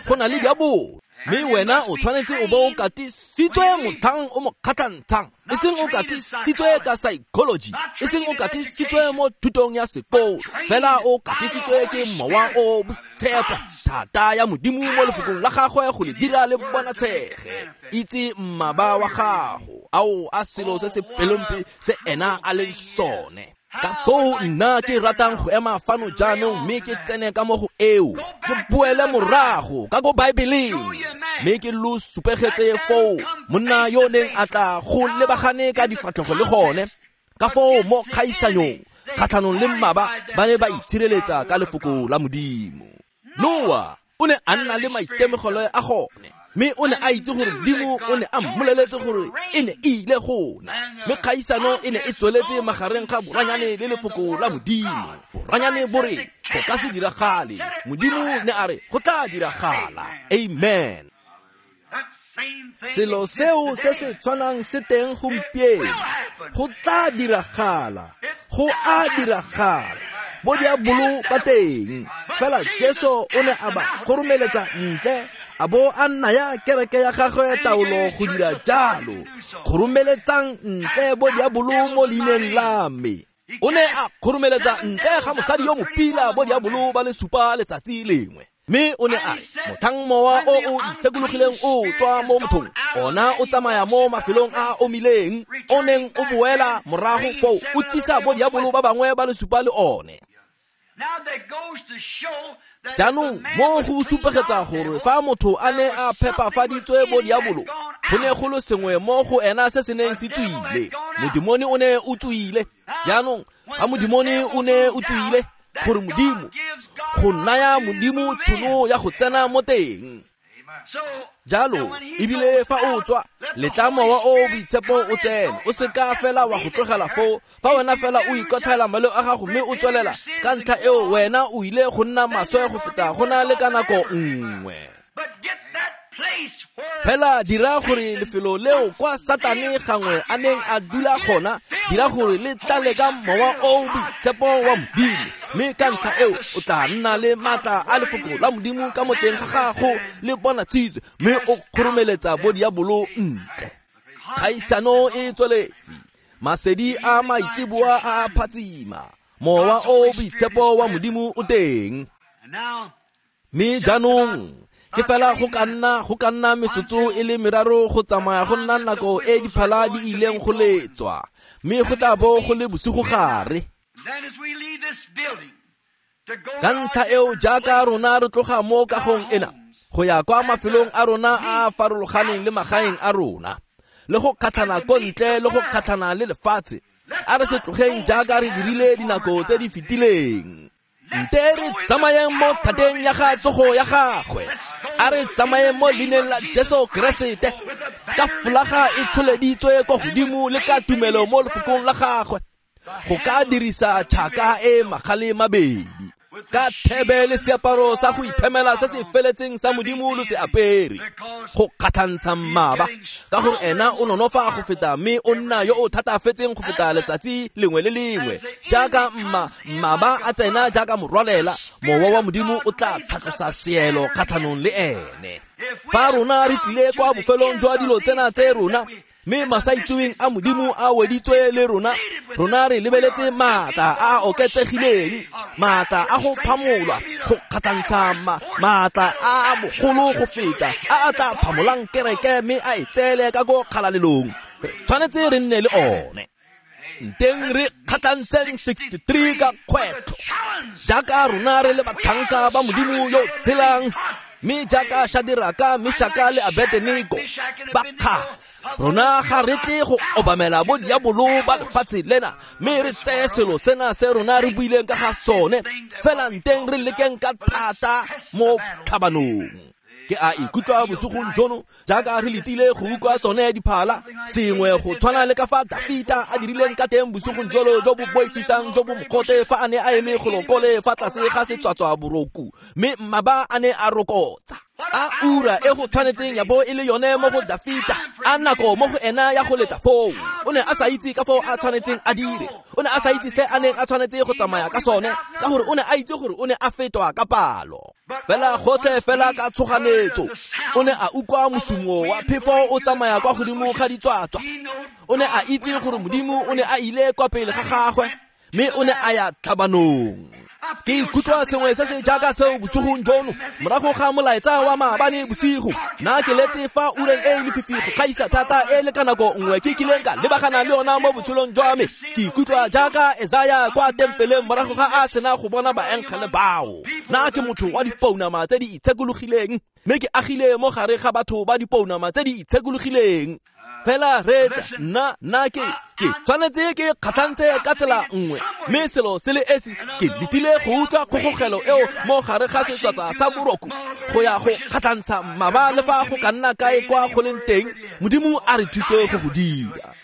Speaker 1: go na le diabolo. Mme wena o tshwanetse o bo o katisitswe motlhang o mo kgatlhantshang, e seng o katisitswe ka psychology, e seng o katisitswe mo thutong ya sekolo, fela o katisitswe ke mowa o boitshepo, thata ya Modimo mo lefokong la gagwe go le dira le bonatshege. Itse mmaba wa gago, ao a selo se se pelompe se ena a leng sone. Ka foo nna ke ratang go ema fano jaanong mme ke tsene ka mo go eo, ke boele morago ka ko Baebeleng, mme ke lo supegetse foo monna yo neng a tla go lebagane ka difatlhego le gone. Ka foo mo kgaisanyong kgatlhanong le mmaba ba ne ba itshireletsa ka lefoko la Modimo. Noa o ne a nna le maitemogelo a gone. Mme o ne a itse gore Modimo o ne a mmoleletse gore e ne e ile go na. Mme kgaisano e ne e tsweletse magareng ga boranyane le lefoko la Modimo. Boranyane bo re go ka se diragale, Modimo ne a re go tla diragala. Amen. Selo seo se se tshwanang se teng gompieno. Go tla diragala, go a diragala. Bo diabolo ba teng. Fela Jesu o ne a ba kgoromeletsa ntle, a bo a naya kereke ya gagwe taolo go dira jalo. Kgoromeletsang ntle bo diabolo mo leineng la me. O ne a kgoromeletsa ntle ga mosadi yo mopila bo diabolo ba le supa letsatsi lengwe. Mme o ne a re, motlhang mowa o o itshekologileng o tswa mo mothong, ona o tsamaya mo mafelong a a omileng, o neng o boela morago foo o tlisa bo diabolo ba bangwe ba le supa le one. Jaanong mo go supegetsa gore fa motho a ne a phepafaditswe bo diabolo, go ne go le sengwe mo go ena se se neng se tswile. Modimone o ne o tswile. Jaanong ga modimone o ne o tswile, gore Modimo go naya Modimo tšhono ya go tsena mo teng. Jalo ebile fa o tswa, letla mowa o boitshepo o tsene. O seka fela wa go tlogela foo. Fa wena fela o ikotlhaela maleo a gago mme o tswelela, ka ntlha eo wena o ile go nna maswe go feta go na le ka nako nngwe. Fela dira gore lefelo leo kwa Satane gangwe a neng a dula gona, dira gore le tlale ka mowa o boitshepo wa Modimo, mme ka ntlha eo o tla nna le maatla a lefoko la Modimo ka mo teng ga gago le bonatshitswe, mme o kgoromeletsa bo diabolo ntle. Kgaisano e tsweletse, masedi a maitseboa a a phatsima, mowa o boitshepo wa Modimo o teng. Mme jaanong ke fela go ka nna metsotso e le meraro go tsamaya go nna nako e diphala di ileng go letswa, mme go tla bo go le bosigo gare. Ka ntlha eo jaaka rona re tloga mo kagong ena go ya kwa mafelong a rona a a farologaneng le magaeng a rona, le go kgatlhana ko ntle le go kgatlhana le lefatshe, a re se tlogeng jaaka re dirile dinako tse di fetileng. Nte re tsamayeng mo thateng ya ga tsogo ya gagwe. A re tsamayeng mo leineng la Jesu Keresete, ka folaga e tsholeditswe kwa godimo le ka tumelo mo lefokong la gagwe, go ka dirisa tšhaka e magale mabedi, ka thebe le seaparo sa go iphemela se se feletseng sa Modimo lo se apere, go kgatlhantsha mmaba, ka gore ena o nonofa go feta mme o nna yo o thatafetseng go feta letsatsi lengwe le lengwe. Jaaka mmaba a tsena jaaka morwalela, mowa wa Modimo o tla tlhatlosa seelo kgatlhanong le ene. Fa rona re tlile kwa bofelong jwa dilo tsena tse rona, mme masaitseweng a Modimo a weditswe le rona, rona re lebeletse maatla a a oketsegileng, maatla a go phamolwa, go kgatlhantsha maatla a a bogolo go feta, a a tla phamolang kereke mme a e tseele ka ko kgalalelong. Re tshwanetse re nne le one. Nteng re kgatlhantseng 63 ka kgwetlho, jaaka rona re le batlhanka ba Modimo yo tshelang, mme jaaka Shadiraka, Meshaka le Abednego ba kgale, rona ga re tle go obamela bo diabolo ba lefatshe lena, mme re tseye selo sena se rona re buileng ka ga sone, fela nteng re lekeng ka thata mo tlhabanong. Ke a ikutlwa bosigong jono jaaka re letile go utlwa tsone diphala, sengwe go tshwana le ka fa Dafita a dirileng ka teng bosigong jolo jo bo boifisang jo bo mogote fa a ne a eme golokole fa tlase ga setswatswa boroku, mme mmaba a ne a rokotsa. A ura e go tshwanetseng ya bo e le yone mo go Dafita, a nako mo go ena ya go leta foo. O ne a sa itse ka foo a tshwanetseng a dire, o ne a sa itse se a neng a tshwanetse go tsamaya ka sone, ka gore o ne a itse gore o ne a fetwa ka palo. Fela gotlhe fela ka tshoganetso, o ne a utlwa mosumo wa phefo o tsamaya kwa godimo ga ditswatswa. O ne a itse gore Modimo o ne a ile kwa pele ga gagwe, mme o ne a ya tlhabanong. Ke ikutlwa sengwe se se jaaka seo bosigong jono, morago ga molaetsa wa maabane bosigo. Nna ke letse fa ureng e lefifi go gaisa thata e le ka nako nngwe ke kileng ka lebagana le yona mo botshelong jwa me. Ke ikutlwa jaaka Esaya kwa tempeleng morago ga a sena go bona baengele bao. Nna ke motho wa dipounama tse di itshekologileng, mme ke agile mo gare ga batho ba dipounama tse di itshekologileng. Fela reetsa, nna ke tshwanetse ke kgatlhantse ka tsela nngwe, mme selo se le esi ke letile go utlwa kgogogelo eo mo gare ga setswatsa sa boroko go ya go kgatlhantsha mmaba le fa go ka nna kae kwa go leng teng. Modimo a re thuse go go dira.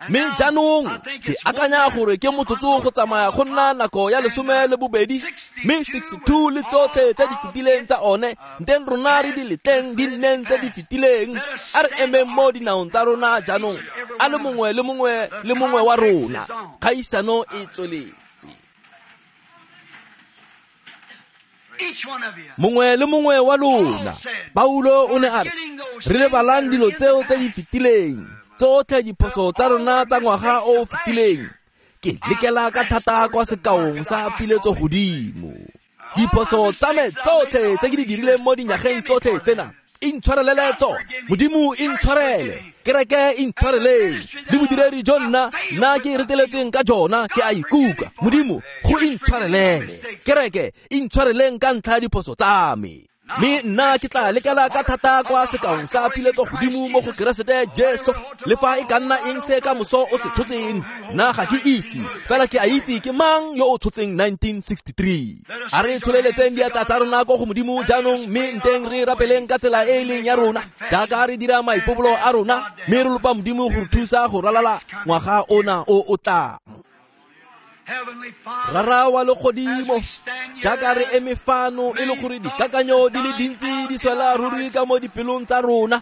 Speaker 1: Mme jaanong ke akanya gore ke motsotso go tsamaya go nna nako ya 12, mme 62 le tsotlhe tse di fetileng tsa one nteng rona re di letleng di nneng tse di fetileng. A re emeng mo dinaong tsa rona jaanong, a le mongwe le mongwe le mongwe wa rona. Kgaisano e tsweletse. Mongwe le mongwe wa lona, Paulo o ne a re, re lebalang dilo tseo tse di fetileng, tsotlhe diphoso tsa rona tsa ngwaga o o fetileng. Ke lekela ka thata kwa sekaong sa piletso godimo. Diphoso tsa me tsotlhe tse ke di dirileng mo dinyageng tsotlhe tsena, intshwarelele tsone. Modimo intshwarele, kereke intshwareleng, le bodiredi jo nna ke reteletsweng ka jona ke a ikuka. Modimo go intshwarelele, kereke intshwareleng ka ntlha ya diphoso tsa me. Mme nna ke tla lekela ka thata kwa sekaong sa piletso godimo mo go Keresete Jesu, le fa e ka nna eng se ka moso o se tshotseng. Nna ga ke itse, fela ke a itse ke mang yo o tshotseng 1963. A re tsholeletseng diatla tsa rona ko go Modimo jaanong, mme nteng re rapeleng ka tsela e e leng ya rona, jaaka re dira maipobolo a rona, mme re lopa Modimo go re thusa go ralala ngwaga ona o o tlang. Rara wa legodimo, jaaka re eme fano e le gore dikakanyo di le dintsi di swela ruri ka mo dipelong tsa rona,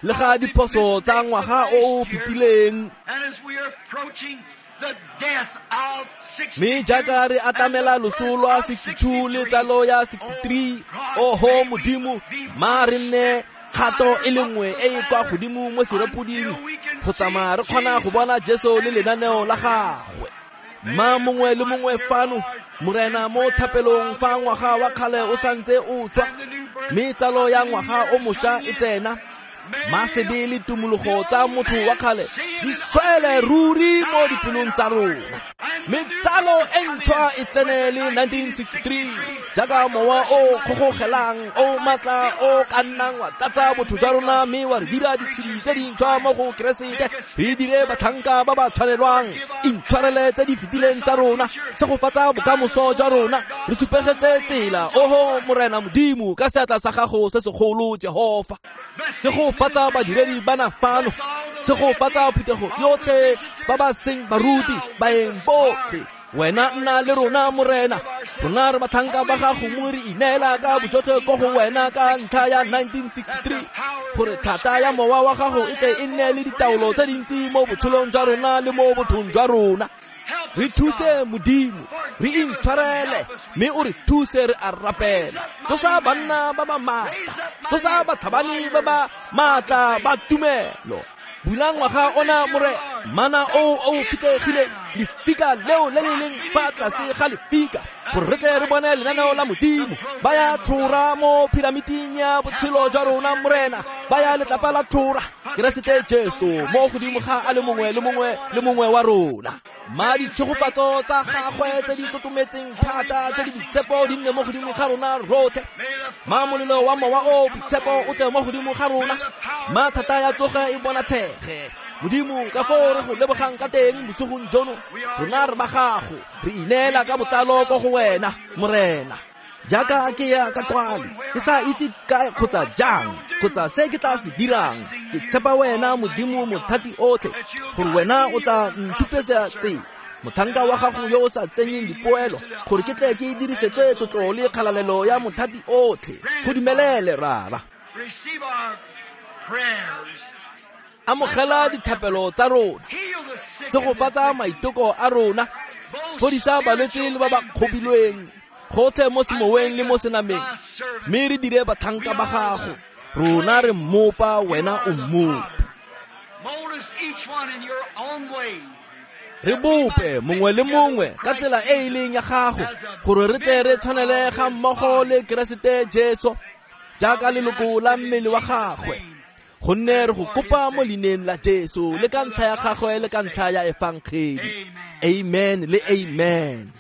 Speaker 1: le ga diphoso tsa ngwaga o o fetileng. Mme jaaka re atamela loso lwa 62 le tsalo ya 63, oho Modimo, ma re nne kgato e le nngwe e e kwa godimo mo serepoding go tsamaya re kgona go bona Jesu le lenaneo la gagwe. Ma mongwe le mongwe fano, Morena, mo thapelong fa ngwaga wa kgale o santse o swa, mme tsalo ya ngwaga o mošwa e tsena, masebe le tumologo tsa motho wa kgale di swele ruri mo dipelong tsa rona, mme tsalo e ntšhwa e tsene le 1963 jaaka mowa o kgogogelang o maatla o ka nnang wa tlatsa botho jwa rona, mme wa re dira ditshedi tse dintšhwa mo go Keresete, re dire batlhanka ba ba tshwanelwang. Intshwarele tse di fetileng tsa rona, segofatsa bokamoso jwa rona, re supegetse tsela, oho Morena Modimo, ka seatla sa gago se segolo Jehofa. Segofatsa badiredi bana fano, segofatsa phuthego yotlhe, ba ba seng baruti, baeng botlhe. Wena nna le rona Morena, rona re batlhanka ba gago, mo re ineela ka bojotlhe ko go wena ka ntlha ya 1963, gore thata ya mowa wa gago e tle e nne le ditaolo tse dintsi mo botshelong jwa rona le mo bothong jwa rona. Re thuse Modimo, re intshwarele, mme o re thuse re a rapela. Tsosa banna ba ba maatla, tsosa batlhabani ba ba maatla ba tumelo. Bula ngwaga ona more, mana o o fitlhegileng, lefika leo le le leng fa tlase ga lefika, gore re tle re bone lenaneo la Modimo. Ba ya tlhora mo piramiting ya botshelo jwa rona Morena, ba ya letlapa la tlhora, Keresete Jesu mo godimo ga a le mongwe le mongwe le mongwe wa rona. Ma ditshegofatso tsa gagwe tse di totometseng thata tse di boitshepo di nne mo godimo ga rona rotlhe. Ma molelo wa mowa o boitshepo o tle mo godimo ga rona, ma thata ya tsoge e bonatshege. Modimo, ka foo re go lebogang ka teng bosigong jono, rona re ba gago, re ineela ka botlalo ko go wena Morena. Jaaka ke ya ka kwale, ke sa itse kae kgotsa jang, kgotsa se ke tla se dirang, ke tshepa wena Modimo mothati otlhe, gore wena o tla ntshupetsa tsela, motlhanka wa gago yo o sa tsenyeng dipoelo, gore ke tle ke dirisetswe tlotlo le kgalalelo ya mothati otlhe. Go dumelele Rara. Amogela dithapelo tsa rona, segofatsa maiteko a rona, fodisa balwetse le ba ba kgobilweng gotlhe mo semoweng le mo senameng, mme re dire batlhanka ba gago. Rona re mmopa, wena o mmopi. Re bope mongwe le mongwe ka tsela e e leng ya gago, gore re tle re tshwanele ga mmogo le Keresete Jesu jaaka leloko la mmele wa gagwe. Gonne re go kopa mo leineng la Jesu, le ka ntlha ya gagwe le ka ntlha ya efangedi. Amen le amen.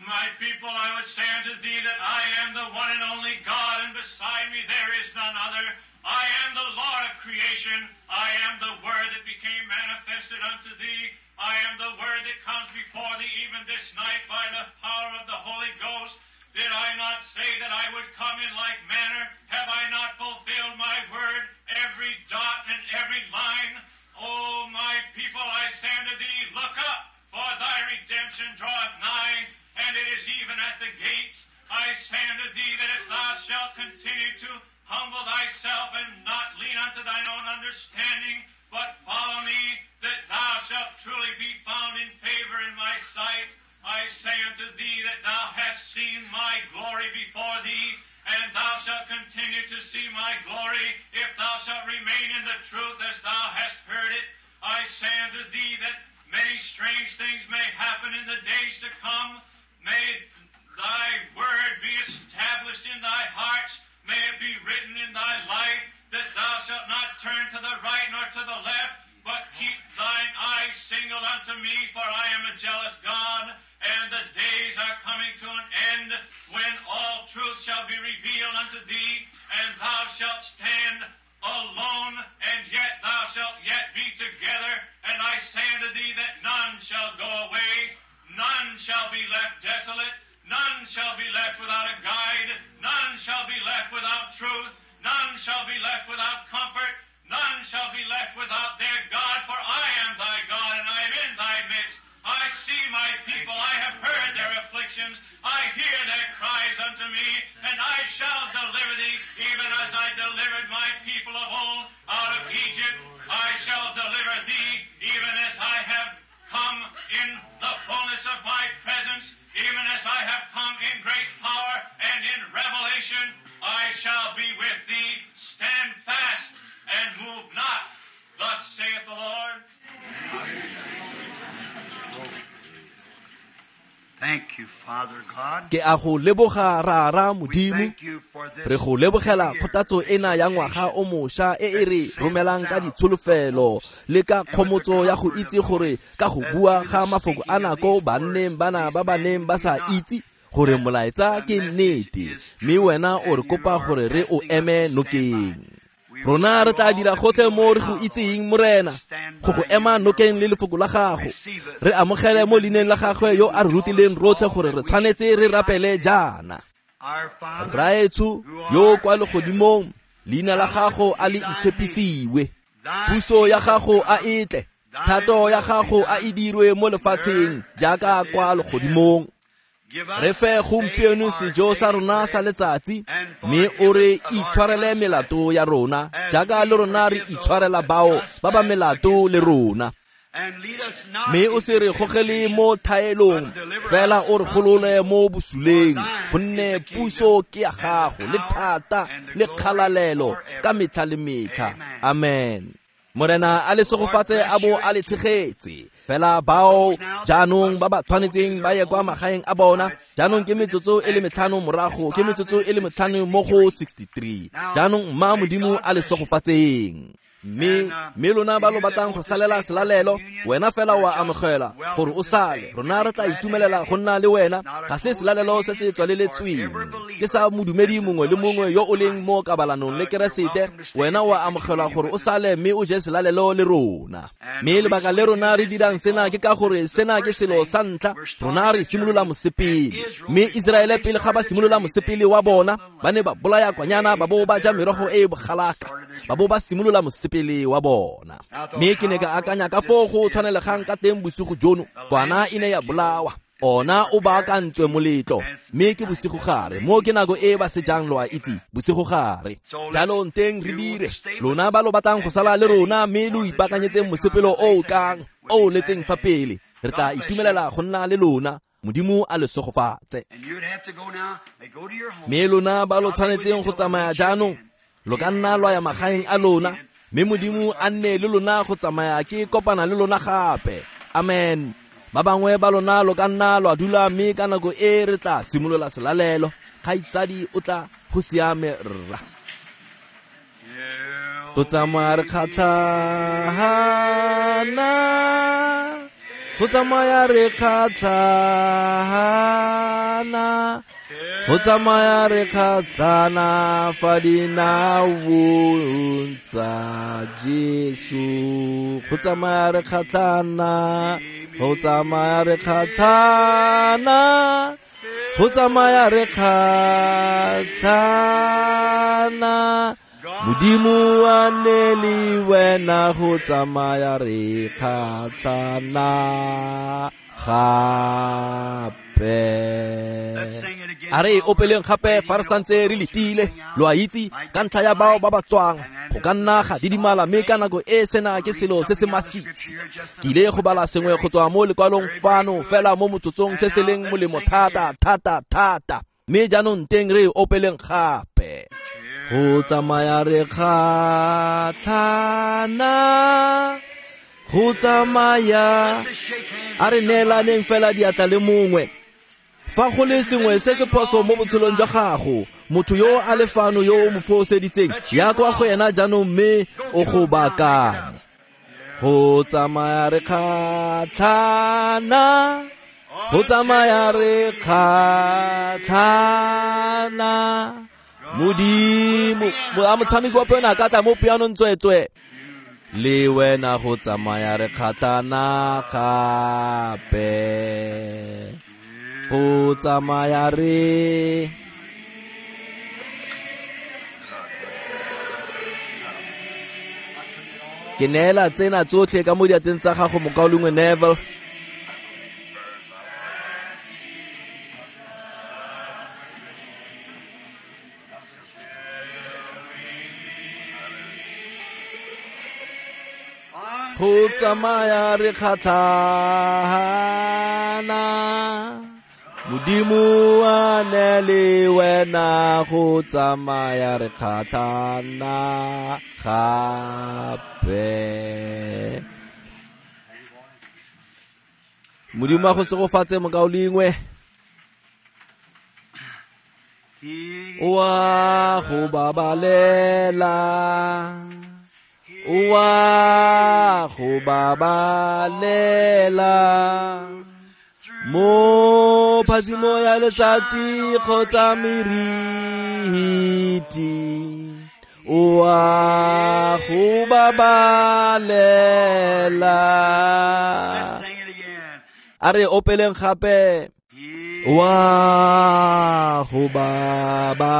Speaker 2: My people, I would say unto thee that I am the one and only God, and beside me there is none other. I am the Lord of creation. I am the Word that became manifested unto thee. I am the Word that comes before thee even this night by the power of the Holy Ghost. Did I not say that I would come in like manner? Have I not fulfilled my word, every dot and every line? O my people, I say unto thee, look up, for thy redemption draweth nigh, and it is even at the gates. I say unto thee that if thou shalt continue to humble thyself and not lean unto thine own understanding, but follow me, that thou shalt truly be found in favor in my sight. I say unto thee that thou hast seen my glory before thee, and thou shalt continue to see my glory, if thou shalt remain in the truth as thou hast heard it. I say unto thee that many strange things may happen in the days to come. May thy word be established in thy hearts. May it be written in thy life, that thou shalt not turn to the right nor to the left, but keep thine eyes single unto me, for I am a jealous God, and the days are coming to an end when all truth shall be revealed unto thee, and thou shalt stand alone, and yet thou shalt yet be together. And I say unto thee that none shall go away, none shall be left desolate, none shall be left without a guide, none shall be left without truth, none shall be left without comfort, none shall be left without their God, for I am thy God, and I am in thy midst. I see my people, I have heard their afflictions, I hear their cries unto me, and I shall deliver thee, even as I delivered my people of old out of Egypt. I shall deliver thee, even as I have come in the fullness of my presence, even as I have come in great power and in revelation. I shall be with thee. Stand fast and move not. Thus saith the Lord.
Speaker 3: Thank you, Father God.
Speaker 1: Ke a go leboga Rara Modimo, re go lebogela kgothatso ena ya ngwaga o mošwa e e re romelang ka ditsholofelo le ka kgomotso ya go itse gore ka go bua ga mafoko a nako banneng bana ba ba neng ba sa itse gore molaetsa ke nnete, mme wena o re kopa gore re o eme nokeng. Rona re tla dira gotlhe mo re go itseng, Morena, go go ema nokeng le lefoko la gago. Re amogele mo leineng la gagwe yo a re rutileng rotlhe gore re tshwanetse re rapele jaana. Rraetsho yo kwa legodimong, leina la gago a le itshepisiwe. Puso ya gago a e tle, thato ya gago a e dirwe mo lefatsheng jaaka kwa legodimong. Re fe gompieno sejo sa rona sa letsatsi, mme o re itshwarele melato ya rona jaaka le rona re itshwarela bao ba ba melato le rona. Mme o se re gogele mo thaelong, fela o re golole mo bosuleng, gonne puso ke ya gago le thata le kgalalelo ka metlha le metlha. Amen. Morena a le segofatse a bo a le tshegetse. Fela bao jaanong ba ba tshwanetseng ba ye kwa magaeng a bona, jaanong ke metsotso e le 5 morago, ke metsotso e le 5 mo go 63. Jaanong mma Modimo a le segofatseng. Mme lona ba lo batlang go salela selalelo, wena fela wa amogela gore o sale. Rona re tla itumelela go nna le wena. Ga se selalelo se se tswaleletsweng, ke sa modumedi mongwe le mongwe yo o leng mo kabalanong le Keresete. Wena wa amogela gore o sale mme o je selalelo le rona. Mme lebaka le rona re dirang sena ke ka gore sena ke selo sa ntlha, rona re simolola mosepele. Mme Iseraele pele ga ba simolola mosepele wa bona, ba ne ba bolaya kwanyana ba bo ba ja merogo e e bogalaka, ba bo ba simolola mosepele wa bona. Mme ke ne ka akanya ka foo go tshwanelegang ka teng bosigo jono, kwana e ne ya bolawa, ona o baakantswe moletlo, mme ke bosigo gare, mo ke nako e ba sejang lo a itse, bosigo gare. Jalo nteng re dire, lona ba lo batlang go sala le rona mme lo ipaakanyetseng mosepelo o o tlang, o o letseng fa pele, re tla itumelela go nna le lona. Modimo a le segofatse. Mme lona ba lo tshwanetseng go tsamaya jaanong, lo ka nna lwa ya magaeng a lona. Mme Modimo a nne le lona go tsamaya ke kopana le lona gape. Amen. Ba bangwe ba lona lo ka nna lwa dula mme ka nako e re tla simolola selalelo. Kgaitsadi o tla go siame rra. Go tsamaya re kgatlhana, go tsamaya re kgatlhana, go tsamaya re kgatlhana fa dinaong tsa Jesu. Go tsamaya re kgatlhana, go tsamaya re kgatlhana, go tsamaya re kgatlhana. Modimo a nne le wena go tsamaya re kgatlhana gape. A re opeleng gape fa re santse re letile. Lo a itse ka ntlha ya bao ba ba tswang go ka nna ga didimala, mme ka nako e sena ke selo se se masisi. Ke ile go bala sengwe go tswa mo lekwalong fano fela mo motsotsong se se leng molemo thata thata thata. Mme jaanong teng re opeleng gape. Go tsamaya re kgatlhana, go tsamaya. A re neelaneng fela diatla le mongwe. Fa go le sengwe se se phoso mo botshelong jwa gago, motho yo a le fano yo o mo foseditseng, ya kwa go ena jaanong mme o go baakanye. Go tsamaya re kgatlhana, go tsamaya re kgatlhana. Modimo a motshameki wa piano a ka tla mo pianong tsweetswe. Le wena go tsamaya re kgatlhana gape. Go tsamaya re. Ke neela tsena tsotlhe ka mo diatleng tsa gago, mokaulengwe Neville. Go tsamaya re kgatlhana, Modimo a nne le wena go tsamaya re kgatlhana gape. Modimo a go segofatse mokaulengwe. O a go babalela, o a go babalela mo phatsimo ya letsatsi kgotsa meriti. O a go babalela. A re opeleng gape. O a go babalela,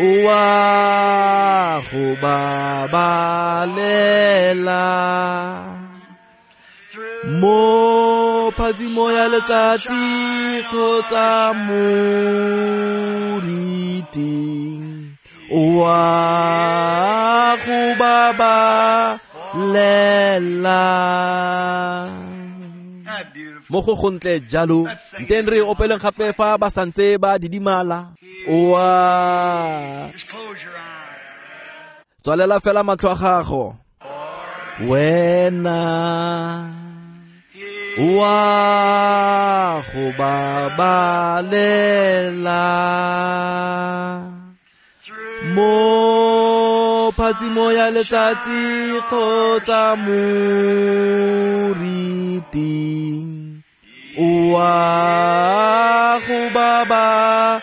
Speaker 1: o a go babalela mo phatsimo ya letsatsi kgotsa moriting. O a go babalela. Mo go gontle jalo, nteng re opeleng gape fa ba santse ba didimala. O a tswalela fela matlho a gago. Wena o a go babalela mo phatsimo ya letsatsi kgotsa moriting. O a go babalela.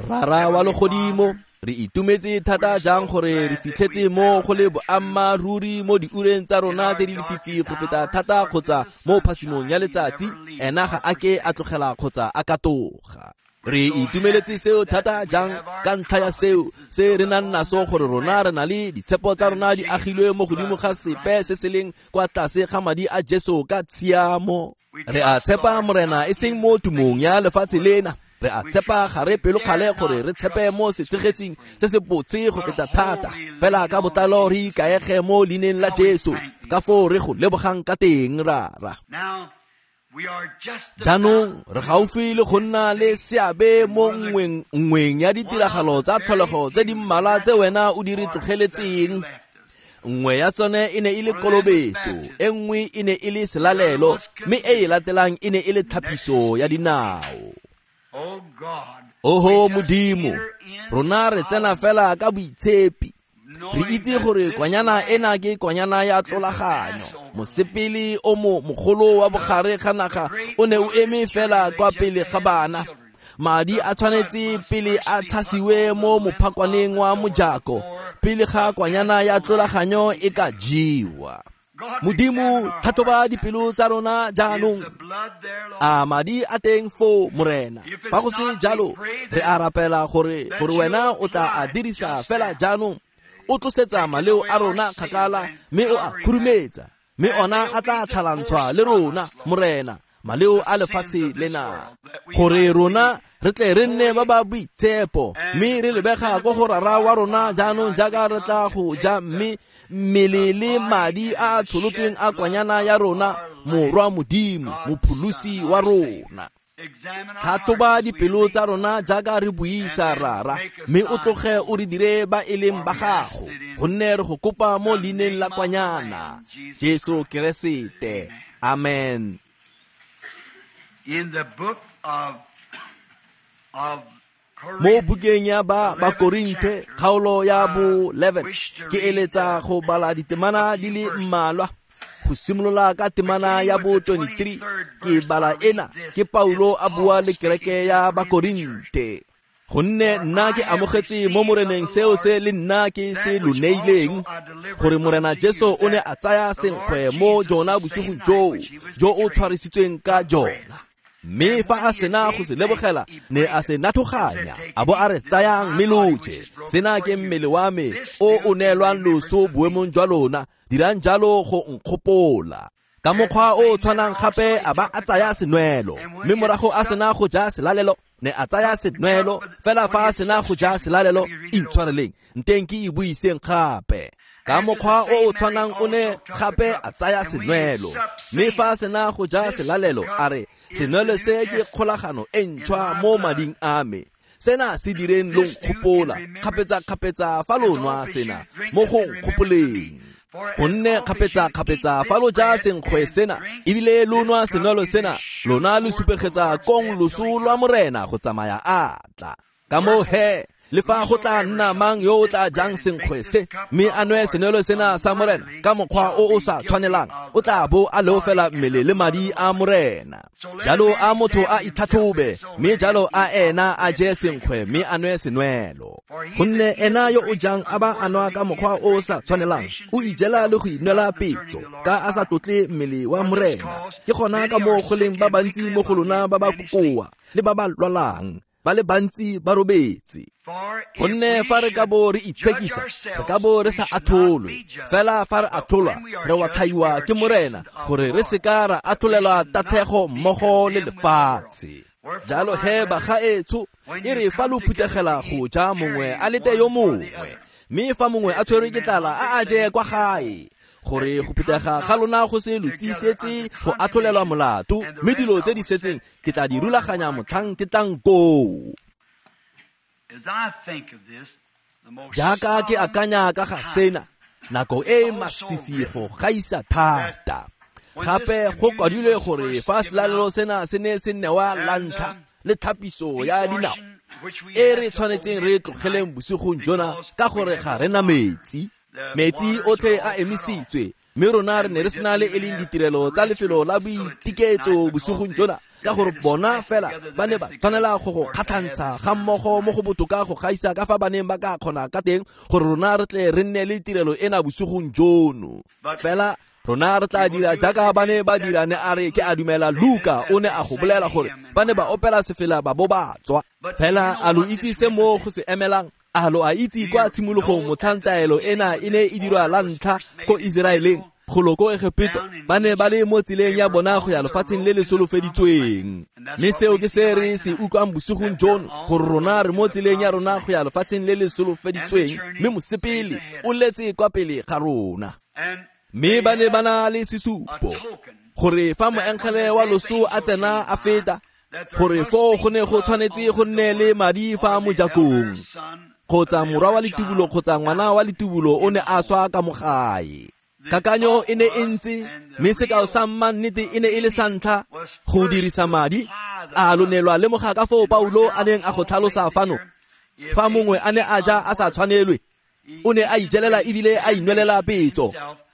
Speaker 1: Rara wa legodimo, re itumetse thata jang gore re fitlhetse mo go le boammaaruri mo diureng tsa rona tse di lefifi go feta thata kgotsa mo phatsimong ya letsatsi. Ena ga a ke a tlogela kgotsa a katoga. Re itumeletse seo thata jang ka ntlha ya seo se re nang naso, gore rona re na le ditshepo tsa rona di agilwe mo godimo ga sepe se se leng kwa tlase ga madi a Jesu ka tshiamo. Re a tshepa Morena e seng mo tumong ya lefatshe lena. Re a tshepa ga re pelokgale gore re tshepe mo setshegetsing se se botse go feta thata. Fela ka botlalo re ikaege mo leineng la Jesu, ka foo re go lebogang ka teng, Rara. Jaanong re gaufi le go nna le seabe mo nngweng ya ditiragalo tsa tlholego tse di mmalwa tse wena o di re tlogeletseng. Nngwe ya tsone e ne e le kolobetso, e nngwe e ne e le selalelo, mme e e latelang e ne e le tlhapiso ya dinao. Oho Modimo, rona re tsena fela ka boitshepi. Re itse gore kwanyana ena ke kwanyana ya tlolaganyo. Mosepele o mo mogolo wa bogare ga naga o ne o eme fela kwa pele ga bana. Madi a tshwanetse pele a tshasiwe mo mophakwaneng wa mojako pele ga kwanyana ya tlolaganyo e ka jewa. Modimo, tlhatlhoba dipelo tsa rona jaanong. A madi a teng foo, Morena? Fa go se jalo, re a rapela gore wena o tla a dirisa fela jaanong. O tlosetsa maleo a rona kgakala mme o a khurumetsa, mme ona a tla tlhalantshwa le rona, Morena, maleo a lefatshe lena, gore rona re tle re nne ba ba boitshepo, mme re lebega ko go Rara wa rona jaanong jaaka re tla go ja mme mmele le madi a a tsholotsweng a kwanyana ya rona, Morwa Modimo, Mopholosi wa rona. Tlhatlhoba dipelo tsa rona jaaka re buisa, Rara, mme o tloge o re dire ba e leng ba gago, gonne re go kopa mo leineng la kwanyana, Jesu Keresete. Amen.
Speaker 3: In the book of
Speaker 1: Mo bukeng ya ba Bakorinthe kgaolo ya bo 11, ke eletsa go bala ditemana di le mmalwa. Go simolola ka temana ya bo 23, ke bala ena ke Paulo a bua le kereke ya Bakorinthe. Gonne nna ke amogetse mo Moreneng seo se le nna ke se lo neileng, gore Morena Jesu o ne a tsaya senkgwe mo jona bosigong joo jo o tshwarisitsweng ka jona. Mme fa a sena go se lebogela, ne a se nathoganya, a bo a re tsayang mme lo je. Sena ke mmele wa me o o neelwang loso boemong jwa lona, dirang jalo go nkgopola. Ka mokgwa o tshwanang gape a ba a tsaya senwelo, mme morago a sena go ja selalelo, ne a tsaya senwelo. Fela fa a sena go ja selalelo, intshwareleng, nteng ke e buiseng gape. Ka mokgwa o o tshwanang o ne gape a tsaya senwelo, mme fa a sena go ja selalelo, a re, senwelo se ke kgolagano e ntšhwa mo mading a me. Sena se direng lo nkgopola kgapetsa-kgapetsa fa lo nwa sena mo go nkgopoleng. Gonne kgapetsa-kgapetsa fa lo ja senkgwe sena ebile lo nwa senwelo sena, lona lo supegetsa kong loso lwa Morena go tsamaya a tla. Ka moo he, le fa go tla nna mang yo o tla jang senkgwe se mme a nwe senwelo sena sa Morena ka mokgwa o o sa tshwanelang, o tla bo a leofela mmele le madi a Morena. Jalo a motho a itlhatlhobe, mme jalo a ena a je senkgwe mme a nwe senwelo. Gonne ena yo o jang a ba a nwa ka mokgwa o o sa tshwanelang, o ijela le go inwela petso, ka a sa tlotle mmele wa Morena. Ke gona ka moo go leng ba bantsi mo go lona ba ba kokoa le ba ba lwalang, ba le bantsi ba robetse. Gonne fa re ka bo re itshekisa, re ka bo re sa atholwe. Fela fa re atholwa, re watlhaiwa ke Morena, gore re seka ra atholelwa tatlhego mmogo le lefatshe. Jalo he bagaetsho, e re fa lo phuthegela go ja mongwe a lete yo mongwe, mme fa mongwe a tshwerwe ke tlala, a a je kwa gae, gore go phuthega ga lona go se lo tsisetse go atholelwa molato, mme dilo tse di setseng ke tla di rulaganya motlhang ke tlang koo. Jaaka ke akanya ka ga sena, nako e masisi go gaisa thata. Gape go kwadilwe gore fa selalelo sena se ne se newa la ntlha le tlhapiso ya dinao, e re tshwanetseng re tlogeleng bosigong jona ka gore ga re na metsi. Metsi otlhe a emisitswe, mme rona re ne re sena le e leng ditirelo tsa lefelo la boitiketso bosigong jona, ka gore bona fela ba ne ba tshwanela go go kgatlhantsha ga mmogo mo go botoka go gaisa ka fa ba neng ba ka kgona ka teng, gore rona re tle re nne le tirelo ena bosigong jono. Fela rona re tla dira jaaka ba ne ba dira, ne a re ke a dumela Luka o ne a go bolela gore ba ne ba opela sefela ba bo ba tswa. Fela a lo itse se mo go se emelang? A lo a itse kwa tshimologong motlhang taelo ena e ne e dirwa la ntlha ko Iseraeleng, golo ko Egepeto, ba ne ba le mo tseleng ya bona go ya lefatsheng le le solofeditsweng. Mme seo ke se re se utlwang bosigong jono, gore rona re mo tseleng ya rona go ya lefatsheng le le solofeditsweng, mme mosepele o letse kwa pele ga rona. Mme ba ne ba na le sesupo. Gore fa moengele wa loso a tsena a feta, gore foo go ne go tshwanetse go nne le madi fa mojakong, kgotsa morwa wa letubulo kgotsa ngwana wa letubulo o ne a swa ka mo gae. Kakanyo e ne e ntse, mme sekao sa mannete e ne e le sa ntlha go dirisa madi. A lo ne lwa lemoga ka foo Paulo a neng a go tlhalosa fano? Fa mongwe a ne a ja a sa tshwanelwe, o ne a ijelela ebile a inwelela petso,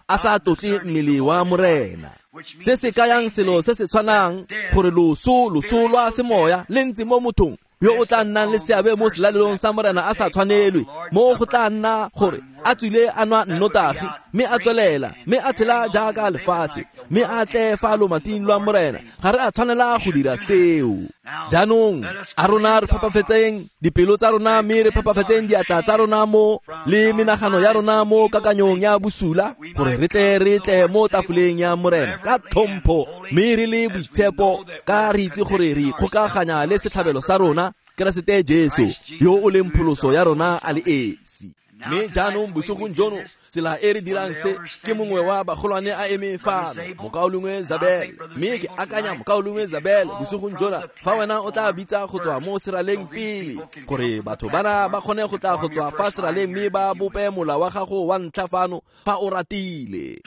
Speaker 1: a sa tlotle mmele wa Morena. Se se kayang selo se se tshwanang, gore loso lwa semoya le ntse mo mothong yo o tla nnang le seabe mo selalelong sa Morena a sa tshwanelwe, mo go tla nna gore a tswile a nwa nnotagi, mme a tswelela, mme a tshela jaaka lefatshe, mme a tle fa lomating lwa Morena. Ga re a tshwanela go dira seo. Jaanong a rona re phepafetseng dipelo tsa rona, mme re phepafetseng diatla tsa rona mo le menagano ya rona mo kakanyong ya bosula, gore re tle re tle mo tafoleng ya Morena ka tlhompho, mme re le boitshepo, ka re itse gore re ikgokaganya le setlhabelo sa rona, Keresete Jesu, yo o leng pholoso ya rona a le esi. Mme jaanong bosigong jono, tsela e re dirang se, ke mongwe wa bagolwane a eme fano, mokaulengwe Zabel. Mme ke akanya mokaulengwe Zabel bosigong jona, fa wena o tla bitsa go tswa mo seraleng pele, gore batho bana ba kgone go tla go tswa fa seraleng mme ba bope mola wa gago wa ntlha fano fa o ratile.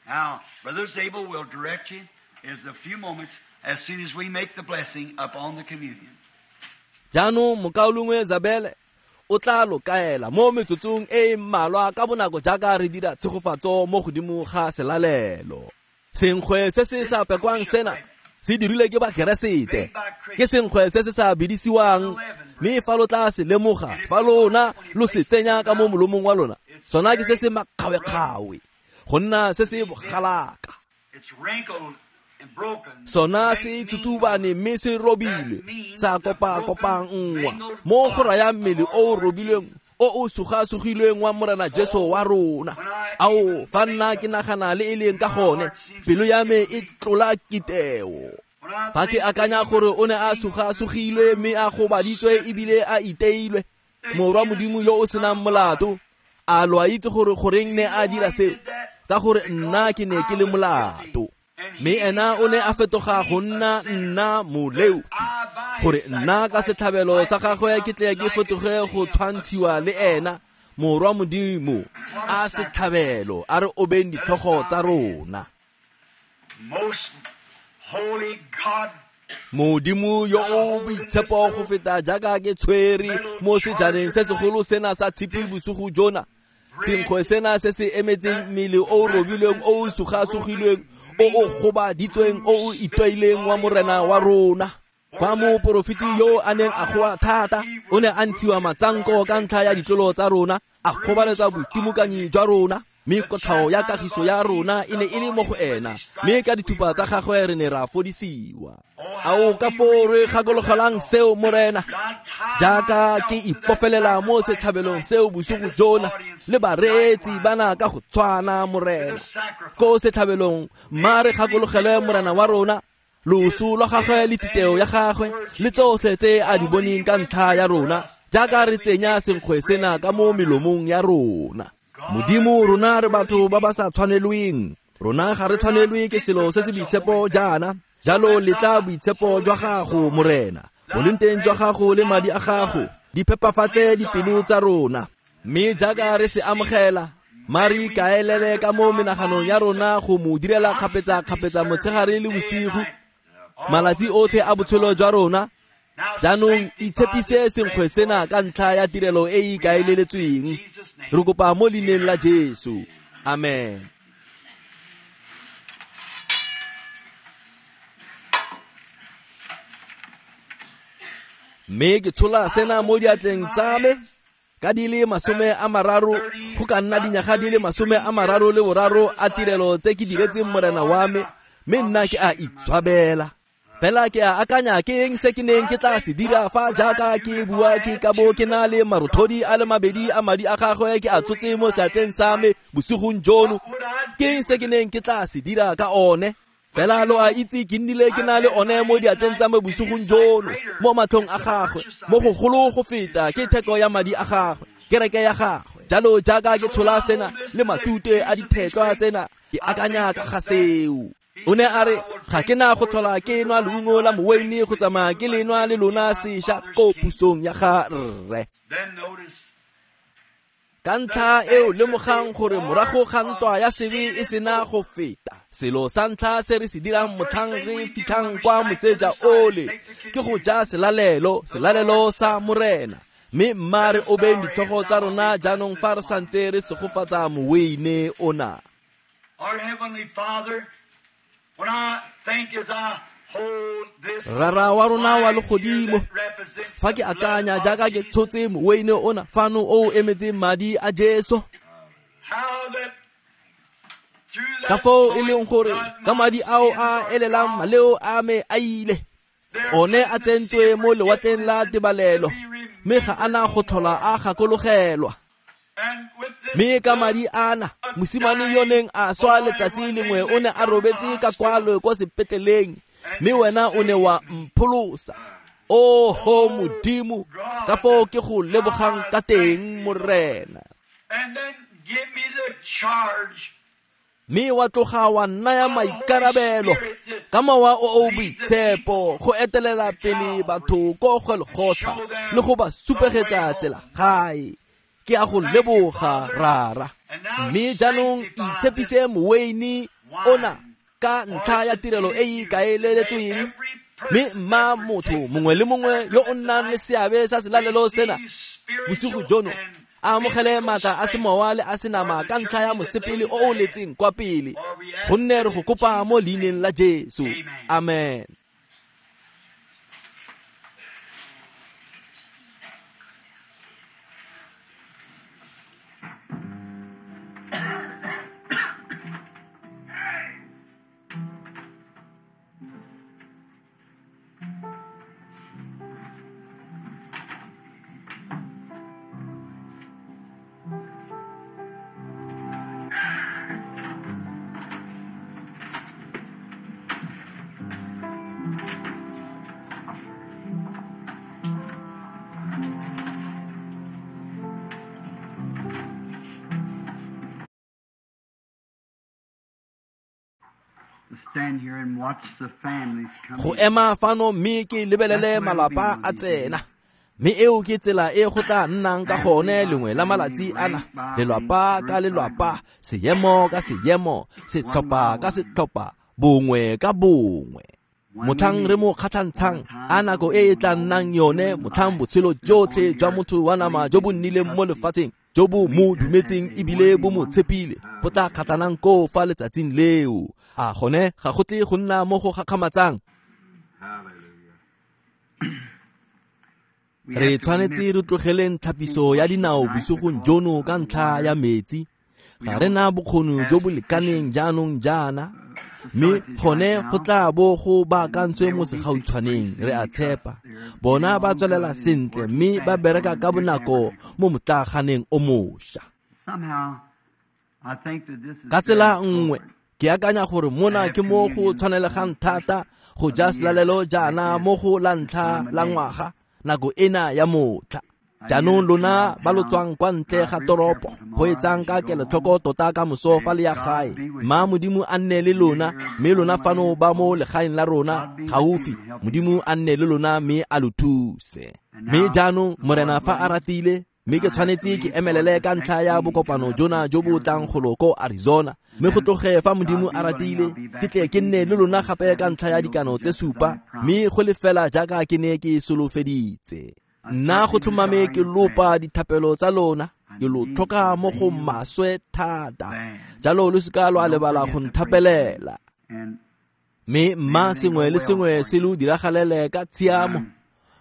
Speaker 3: Now, Brother Zabel will direct you in a few moments as soon as we make the blessing upon the communion.
Speaker 1: Jaanong mokaulengwe Zabel o tla lo kaela mo metsotsong e e mmalwa ka bonako jaaka re dira tshegofatso mo godimo ga selalelo. Senkgwe se se sa pekwang sena se dirilwe ke Bakeresete, ke senkgwe se se sa bidisiwang, mme fa lo tla se lemoga, fa lona lo se tsenya ka mo molomong wa lona, sona ke se se makgawekgawe, go nna se se bogalaka. Sona se tsutsubane mme se robilwe, sa kopa-kopanngwa mo go raya mmele o o robilweng, o o suga-sugilweng wa Morena Jesu wa rona. Ao, fa nna ke nagana le e leng ka gone, pelo ya me e tlola kiteo. Fa ke akanya gore o ne a suga-sugilwe mme a gobaditswe ebile a iteilwe, morwa Modimo yo o senang molato, a lo a itse gore goreng ne a dira seo? Ka gore nna ke ne ke le molato. Mme ena o ne a fetoga go nna nna moleofi, gore nna ka setlhabelo sa gagwe ke tle ke fetoge go tshwantshiwa le ena, morwa Modimo, a setlhabelo, a re obeng ditlhogo tsa rona. Modimo yo o boitshepo go feta jaaka ke tshwere mo sejaneng se segolo sena sa tshipi bosigo jona, senkgwe sena se se emetseng mmele o o robilweng, o o suga-sugilweng, o o gobaditsweng, o o itwaileng wa Morena wa rona. Fa moporofeti yo a neng a goa thata, o ne a ntshiwa matsanko ka ntlha ya ditlolo tsa rona, a gobaletsa boitimokanyi jwa rona, mme kotlhao ya kagiso ya rona e ne e le mo go ena, mme ka dithupa tsa gagwe re ne ra fodisiwa. Ao ka foo re gakologelang seo, Morena, jaaka ke ipofelela mo setlhabelong seo bosigo jona le bareetsi bana ka go tshwana, Morena. Ko setlhabelong, mma re gakologele Morena wa rona, loso lwa gagwe le titeo ya gagwe le tsotlhe tse a di boneng ka ntlha ya rona, jaaka re tsenya senkgwe sena ka mo melomong ya rona. Modimo, rona re batho ba ba sa tshwanelweng, rona ga re tshwanelwe ke selo se se boitshepo jaana. Jalo letla boitshepo jwa gago, Morena, bolenteng jwa gago le madi a gago di phepafatse dipelo tsa rona. Mme jaaka re se amogela, mma re ikaelele ka mo menaganong ya rona go mo direla kgapetsa-kgapetsa motshegare le bosigo, malatsi otlhe a botshelo jwa rona. Jaanong itshepise senkgwe sena ka ntlha ya tirelo e e ikaeleletsweng. Re kopa mo leineng la Jesu. Amen. Mme ke tshola sena mo diatleng tsa me ka di le 30, go ka nna dinyaga di le 33 a tirelo tse ke diretseng Morena wa me, mme nna ke a itshwabela. Fela ke a akanya ke eng se ke neng ke tla se dira fa jaaka ke bua ke ka bo ke na le marothodi a le mabedi a madi a gagwe ke a tshotse mo seatleng sa me bosigong jono. Ke eng se ke neng ke tla se dira ka one? Fela lo a itse ke nnile ke na le one mo diatleng tsa me bosigong jono, mo matlhong a gagwe, mo go golo go feta ke theko ya madi a gagwe, kereke ya gagwe. Jalo jaaka ke tshola sena le matute a dithetlwa tsena, ke akanya ka ga seo. O ne a re ga ke na go tlhola ke nwa leungo la moweine go tsamaya ke le nwa le lona sešwa ko pusong ya ga rre. Ka ntlha eo lemogang gore morago ga ntwa ya sebe e sena go feta, selo sa ntlha se re se dirang motlhang re fitlhang kwa moseja ole ke go ja selalelo, selalelo sa Morena. Mme mma re obeng ditlhogo tsa rona jaanong fa re santse re segofatsa moweine ona. Rara wa rona wa legodimo, fa ke akanya jaaka ke tshotse moweine ona fano o emetseng madi a Jesu, ka foo e leng gore ka madi ao a elelang maleo a me a ile, one a tsentswe mo lewatleng la tebalelo, mme ga ana go tlhola a gakologelwa. Mme ka madi ana, mosimane yo neng a swa letsatsi lengwe o ne a robetse ka kwalo kwa sepetleleng, mme wena o ne wa mpholosa. Oho Modimo, ka foo ke go lebogang ka teng, Morena. Mme wa tloga wa nnaya maikarabelo ka mowa o o boitshepo go etelela pele batho ko Golgotha le go ba supegetsa tsela gae. Ke a go leboga, Rara. Mme jaanong itshepise moweine ona ka ntlha ya tirelo e e ikaeletsweng, mme mma motho mongwe le mongwe yo o nnang le seabe sa selalelo sena bosigo jono a amogele maatla a semowa le a senama ka ntlha ya mosepele o o letseng kwa pele, gonne re go kopa mo leineng la Jesu. Amen. Go ema fano mme ke lebelele malapa a tsena, mme eo ke tsela e go tla nnang ka gone lengwe la malatsi ana, lelwapa ka lelwapa, seemo ka seemo, setlhopha ka setlhopha, bongwe ka bongwe. Motlhang re mo kgatlhantshang a nako e e tla nnang yone, motlhang botshelo jotlhe jwa motho wa nama jo bo nnileng mo lefatsheng, jo bo mo dumetseng ebile bo mo tshepile, go tla kgatlhanang koo fa letsatsing leo. A gone ga go tle go nna mo go gakgamatsang? Re tshwanetse re tlogeleng tlhapiso ya dinao bosigong jono ka ntlha ya metsi. Ga re na bokgoni jo bo lekaneng jaanong jaana, mme gone go tla bo go baakantswe mo segautshwaneng, re a tshepa. Bona ba tswelela sentle mme ba bereka ka bonako mo motlaaganeng o mošwa. Ka tsela nngwe, ke akanya gore mona ke mo go tshwanelegang thata go ja selalelo jaana mo go la ntlha la ngwaga, nako ena ya motlha. Jaanong lona ba lo tswang kwa ntle ga toropo, go etsang ka kelotlhoko tota ka moso fa le ya gae. Mma Modimo a nne le lona, mme lona fano ba mo legaeng la rona gaufi, Modimo a nne le lona mme a lo thuse. Mme jaanong Morena fa a ratile, mme ke tshwanetse ke emelele ka ntlha ya bokopano jona jo bo tlang golo ko Arizona, mme go tloge fa Modimo a ratile ke tle ke nne le lona gape ka ntlha ya dikano tse supa, mme go le fela jaaka ke ne ke solofeditse. Nna go tlhomame ke lopa dithapelo tsa lona, ke lo tlhoka mo go maswe thata, jalo lo seka lwa lebala go nthapelela. Mme mma sengwe le sengwe se lo diragalele ka tshiamo,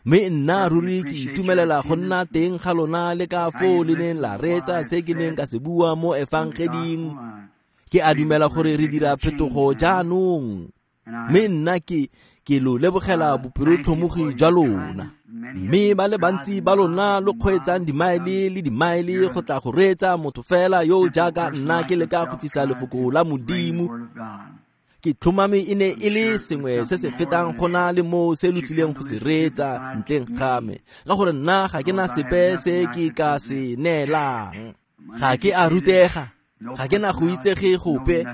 Speaker 1: mme nna ruri ke itumelela go nna teng ga lona le ka foo le neng la reetsa se ke neng ka se bua mo efangeding. Ke a dumela gore re dira phetogo jaanong, mme nna ke lo lebogela bopelotlhomogi jwa lona. Mme ba le bantsi ba lona lo kgweetsang dimaele le dimaele go tla go reetsa motho fela yo jaaka nna ke leka go tlisa lefoko la Modimo. Ke tlhomame e ne e le sengwe se se fetang go na le moo se lo tlileng go se reetsa ntleng ga me, ka gore nna ga ke na sepe se ke ka se neelang. Ga ke a rutega, Ga ke na go itsege gope,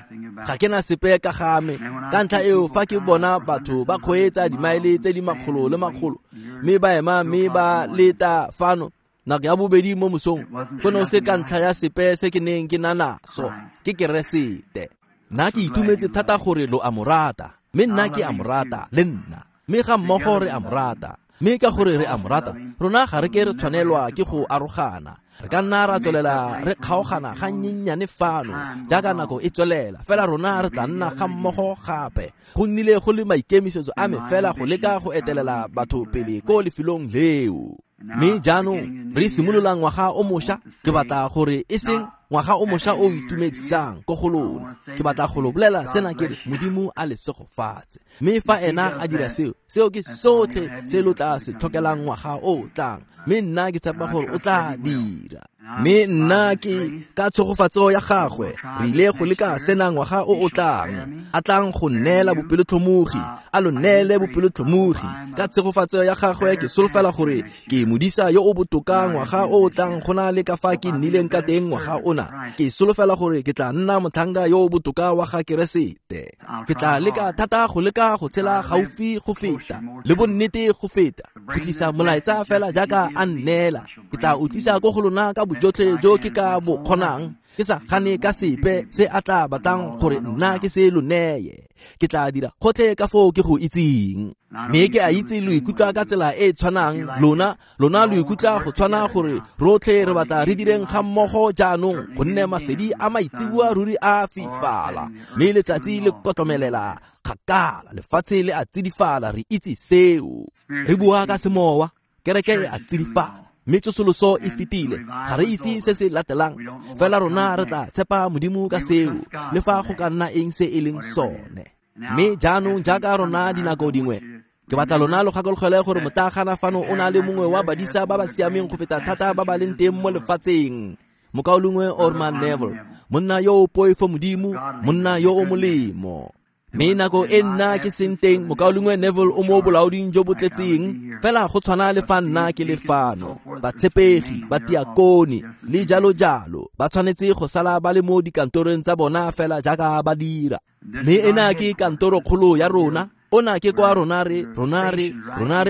Speaker 1: ga ke na sepe ka ga me. Ka ntlha eo fa ke bona batho ba kgweetsa dimaele tse di makgolo le makgolo, mme ba ema mme ba leta fano nako ya bobedi mo mosong, go ne go se ka ntlha ya sepe se ke neng ke na naso, ke Keresete. Nna ke itumetse thata gore lo a mo rata, mme nna ke a mo rata le nna, mme ga mmogo re a mo rata. Mme ka gore re a mo rata, rona ga re ke re tshwanelwa ke go arogana. Re ka nna ra tswelela re kgaogana ga nnyennyane fano jaaka nako e tswelela, fela rona re tla nna ga mmogo gape. Go nnile go le maikemisetso a me fela go leka go etelela batho pele ko lefelong leo. Mme jaanong re simolola ngwaga o mošwa, ke batla gore e seng ngwaga o mošwa o itumedisang ko go lona. Ke batla go lo bolela sena ke re Modimo a le segofatse. Mme fa ena a dira seo, seo ke sotlhe se lo tla se tlhokelang ngwaga o tlang. Mme nna ke tshepa gore o tla dira. Mme nna ke ka tshegofatso ya gagwe re ile go leka sena ngwaga o o tlang, a tlang go neela bopelotlhomogi, a lo neele bopelotlhomogi. Ka tshegofatso ya gagwe ke solofela gore ke modisa yo o botoka ngwaga o o tlang go na le ka fa ke nnileng ka teng ngwaga ona. Ke solofela gore ke tla nna motlhanka yo o botoka wa ga Keresete. Ke tla leka thata go leka go tshela gaufi go feta le bonnete go feta, go tlisa molaetsa fela jaaka a nneela. Ke tla o tlisa ko go lona ka bojotlhe jo ke ka bo kgonang, ke sa gane ka sepe se a tla batlang gore nna ke se lo neye. Ke tla dira gotlhe ka foo ke go itseng. Mme ke a itse lo ikutlwa ka tsela e e tshwanang lona, lona lo ikutlwa go tshwana gore rotlhe re batla re direng ga mmogo jaanong, gonne masedi a maitseboa ruri a fifala, mme letsatsi le kotlomelela kgakala, lefatshe le a tsidifala, re itse seo. Re bua ka semowa, kereke e a tsidifala, mme tsosoloso e fetile. Ga re itse se se latelang, fela rona re tla tshepa Modimo ka seo, le fa go ka nna eng se e leng sone. Mme jaanong jaaka rona dinako dingwe, ke batla lona lo gakologele gore motlaaganna fano o na le mongwe wa badisa ba ba siameng go feta thata ba ba leng teng mo lefatsheng, mokaulengwe Orman Neville, monna yo o poifo Modimo, monna yo o molemo. Mme nako e nna ke seng teng, mokaulengwe Neville o mo bolaoding jo bo tletseng, fela go tshwana le fa nna ke le fano. Batshepegi, batiakone le jalo jalo ba tshwanetse go sala ba le mo dikantorong tsa bona fela jaaka ba dira. Mme ena ke kantorokgolo ya rona, ona ke kwa rona re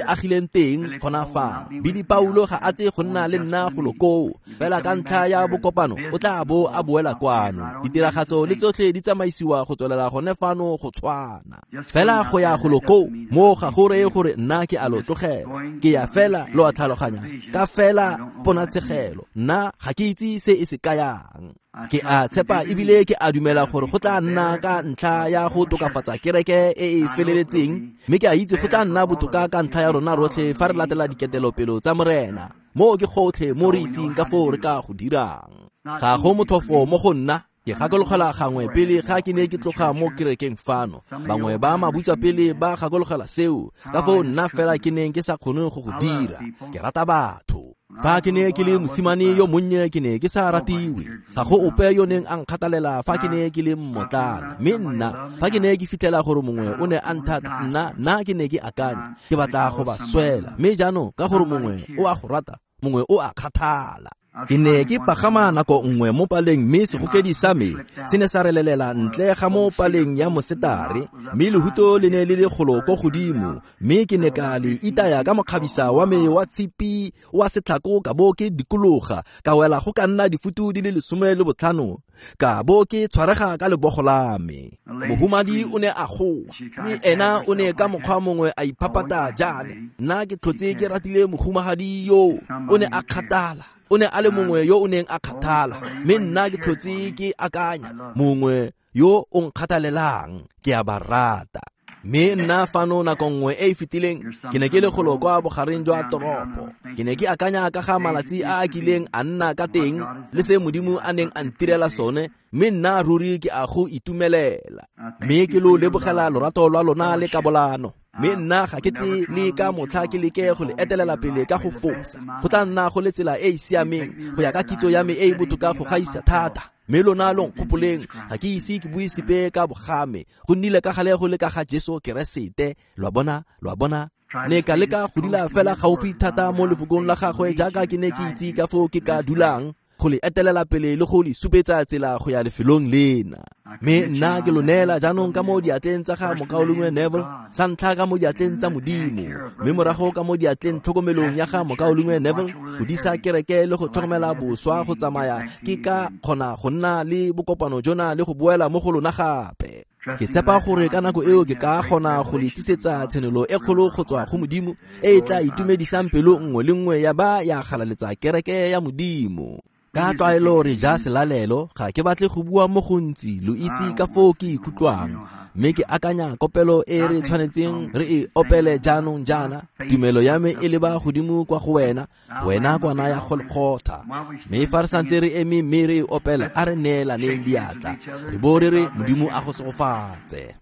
Speaker 1: agileng teng gona fano. Billy Paulo ga a tle go nna le nna golo koo, fela ka ntlha ya bokopano o tla bo a boela kwano. Ditiragatso le tsotlhe di tsamaisiwa go tswelela gone fano go tshwana. Fela go ya golo koo mo ga go reye gore nna ke a lo tlogela, ke ya fela lo a tlhaloganya ka fela ponatshegelo. Nna ga ke itse se e se kayang. Ke a tshepa ebile ke a dumela gore go tla nna ka ntlha ya go tokafatsa kereke e e feleletseng, mme ke a itse go tla nna botoka ka ntlha ya rona rotlhe fa re latela diketelopelo tsa Morena. Mo ke gotlhe mo re itseng ka foo re ka go dirang. Ga go motlhofo mo go nna. Ke gakologela gangwe pele ga ke ne ke tloga mo kerekeng fano, bangwe ba mabutswapele ba gakologela seo, ka foo nna fela ke neng ke sa kgone go go dira. Ke rata batho. Fa ke ne ke le mosimane yo monnye ke ne ke sa ratiwe, ga go ope yo neng a nkgathalela fa ke ne ke le mmotlana. Mme nna fa ke ne ke fitlhela gore mongwe o ne a nthata, nna ke ne ke akanya ke batla go ba swela. Mme jaanong ka gore mongwe o a go rata, mongwe o a kgathala. Ke ne ke pagama nako nngwe mo paleng, mme segokedi sa me se ne sa relelela ntle ga mo paleng ya mosetare, mme lehuto le ne le le golo ko godimo, mme ke ne ka le itaya ka mokgabisa wa me wa tshipi wa setlhako, ka bo ke dikologa ka wela go ka nna difutu di le 15, ka bo ke tshwarega ka lebogo la me. Mohumadi o ne a goa, mme ena o ne ka mokgwa mongwe a iphapata jaana. Nna ke tlhotse ke ratile mohumagadi yo, o ne a kgathala. O ne a le mongwe yo o neng a kgathala, mme nna ke tlhotse ke akanya mongwe yo o nkgathalelang, ke a ba rata. Mme nna fano nako nngwe e e fetileng ke ne ke le golo kwa bogareng jwa toropo. Ke ne ke akanya ka ga malatsi a a kileng a nna ka teng le se Modimo a neng a ntirela sone, mme nna ruri ke a go itumelela. Mme ke lo lebogela lorato lwa lona le kabolano. Mme nna ga ke tle le ka motlha ke leke go le etelela pele ka go fosa. Go tla nna go le tsela e e siameng go ya ka kitso ya me e e botoka go gaisa thata. Mme lona lo nkgopoleng, ga ke ise ke bue sepe ka bogame, go nnile ka gale go le ka ga Jesu Keresete. Lo a bona, lo a bona. Ne ka leka go dula fela gaufi thata mo lefokong la gagwe jaaka ke ne ke itse ka foo ke ka dulang. go le etelela pele le go le supetsa tsela go ya lefelong lena. Mme nna ke lo neela jaanong ka mo diatleng tsa ga mokaulengwe Neville, sa ntlha ka mo diatleng tsa Modimo, mme morago ka mo diatleng tlhokomelong ya ga mokaulengwe Neville go disa kereke le go tlhokomela boswa go tsamaya ke ka kgona go nna le bokopano jona le go boela mo go lona gape. Ke tshepa gore ka nako eo ke ka kgona go le tlisetsa tshenolo e kgolo go tswa go Modimo e e tla itumedisang pelo nngwe le nngwe ya ba ya galaletsa kereke ya Modimo. Ka tlwaelo re ja selalelo, ga ke batle go bua mo gontsi, lo itse ka foo ke ikutlwang, mme ke akanya kopelo e re tshwanetseng re e opele jaanong jaana. Tumelo ya me e leba godimo kwa go wena, wena kwana ya Golgotha. Mme fa re santse re eme mme re e opela, a re neelaneng diatla, re bo re re Modimo a go segofatse.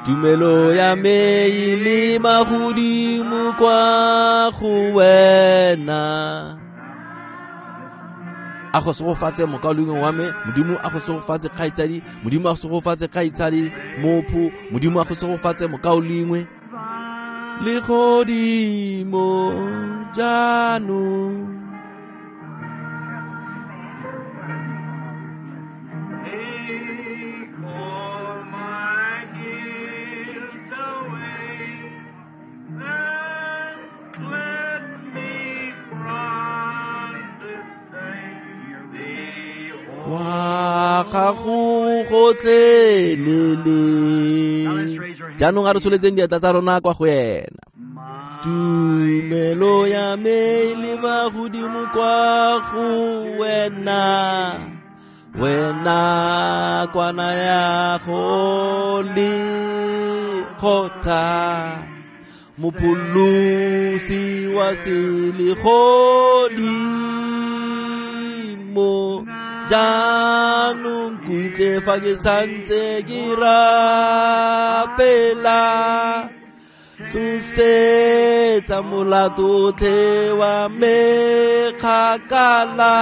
Speaker 1: Tumelo ya me e leba godimo kwa go wena. A go segofatse mokaulengwe wa me, Modimo a go segofatse kgaitsadi, Modimo a go segofatse kgaitsadi mopho, Modimo a go segofatse mokaulengwe. Legodimo jaanong.
Speaker 2: Take all my guilt away and cleanse me from this day.
Speaker 1: Wa gago gotlhelele. Jaanong a re tsholetseng diatla tsa rona kwa go ena. Tumelo ya me e leba godimo kwa go wena, wena kwana ya Golgotha, mopholosi wa selegodimo. Jaanong kutle fa ke santse ke rapela, tlosetsa molato otlhe wa me kgakala.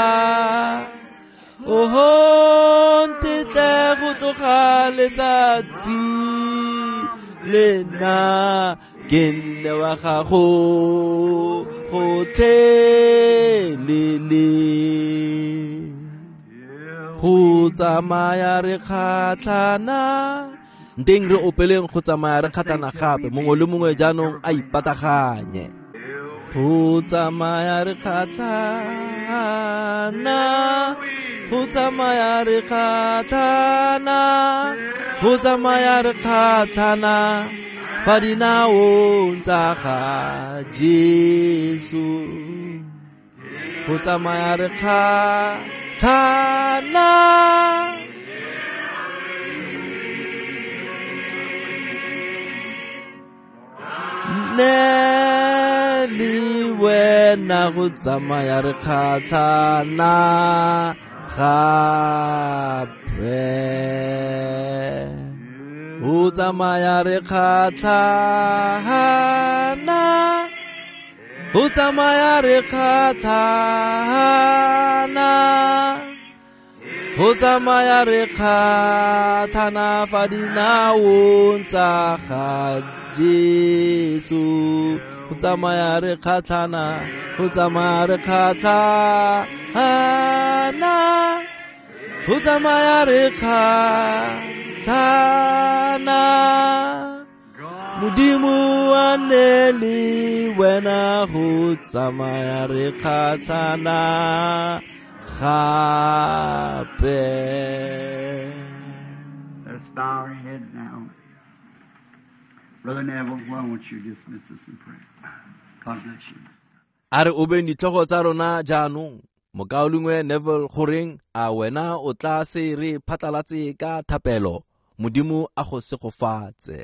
Speaker 1: Oho, ntetle go tloga letsatsi lena, ke nne wa gago gotlhelele. Go tsamaya re kgatlhana, nteng re opeleng go tsamaya re kgatlhana gape, mongwe le mongwe jaanong a ipataganye. Go tsamaya re kgatlhana, go tsamaya re kgatlhana, go tsamaya re kgatlhana fa dinaong tsa ga Jesu. Go tsamaya re kgatlhana. Nne le wena go tsamaya re kgatlhana gape. Go tsamaya re kgatlhana, go tsamaya re kgatlhana, go tsamaya re kgatlhana fa dinaong tsa ga Jesu. Go tsamaya re kgatlhana, go tsamaya re kgatlhana, go tsamaya re kgatlhana. Modimo a nne le wena go tsamaya re kgatlhana gape.
Speaker 3: Let us bow our heads now. Brother Neville, why won't you dismiss us in prayer? God bless you.
Speaker 1: A re obeng ditlhogo tsa rona jaanong. Mokaulengwe Neville, goreng a wena o tla se re phatlalatse ka thapelo? Modimo a go segofatse.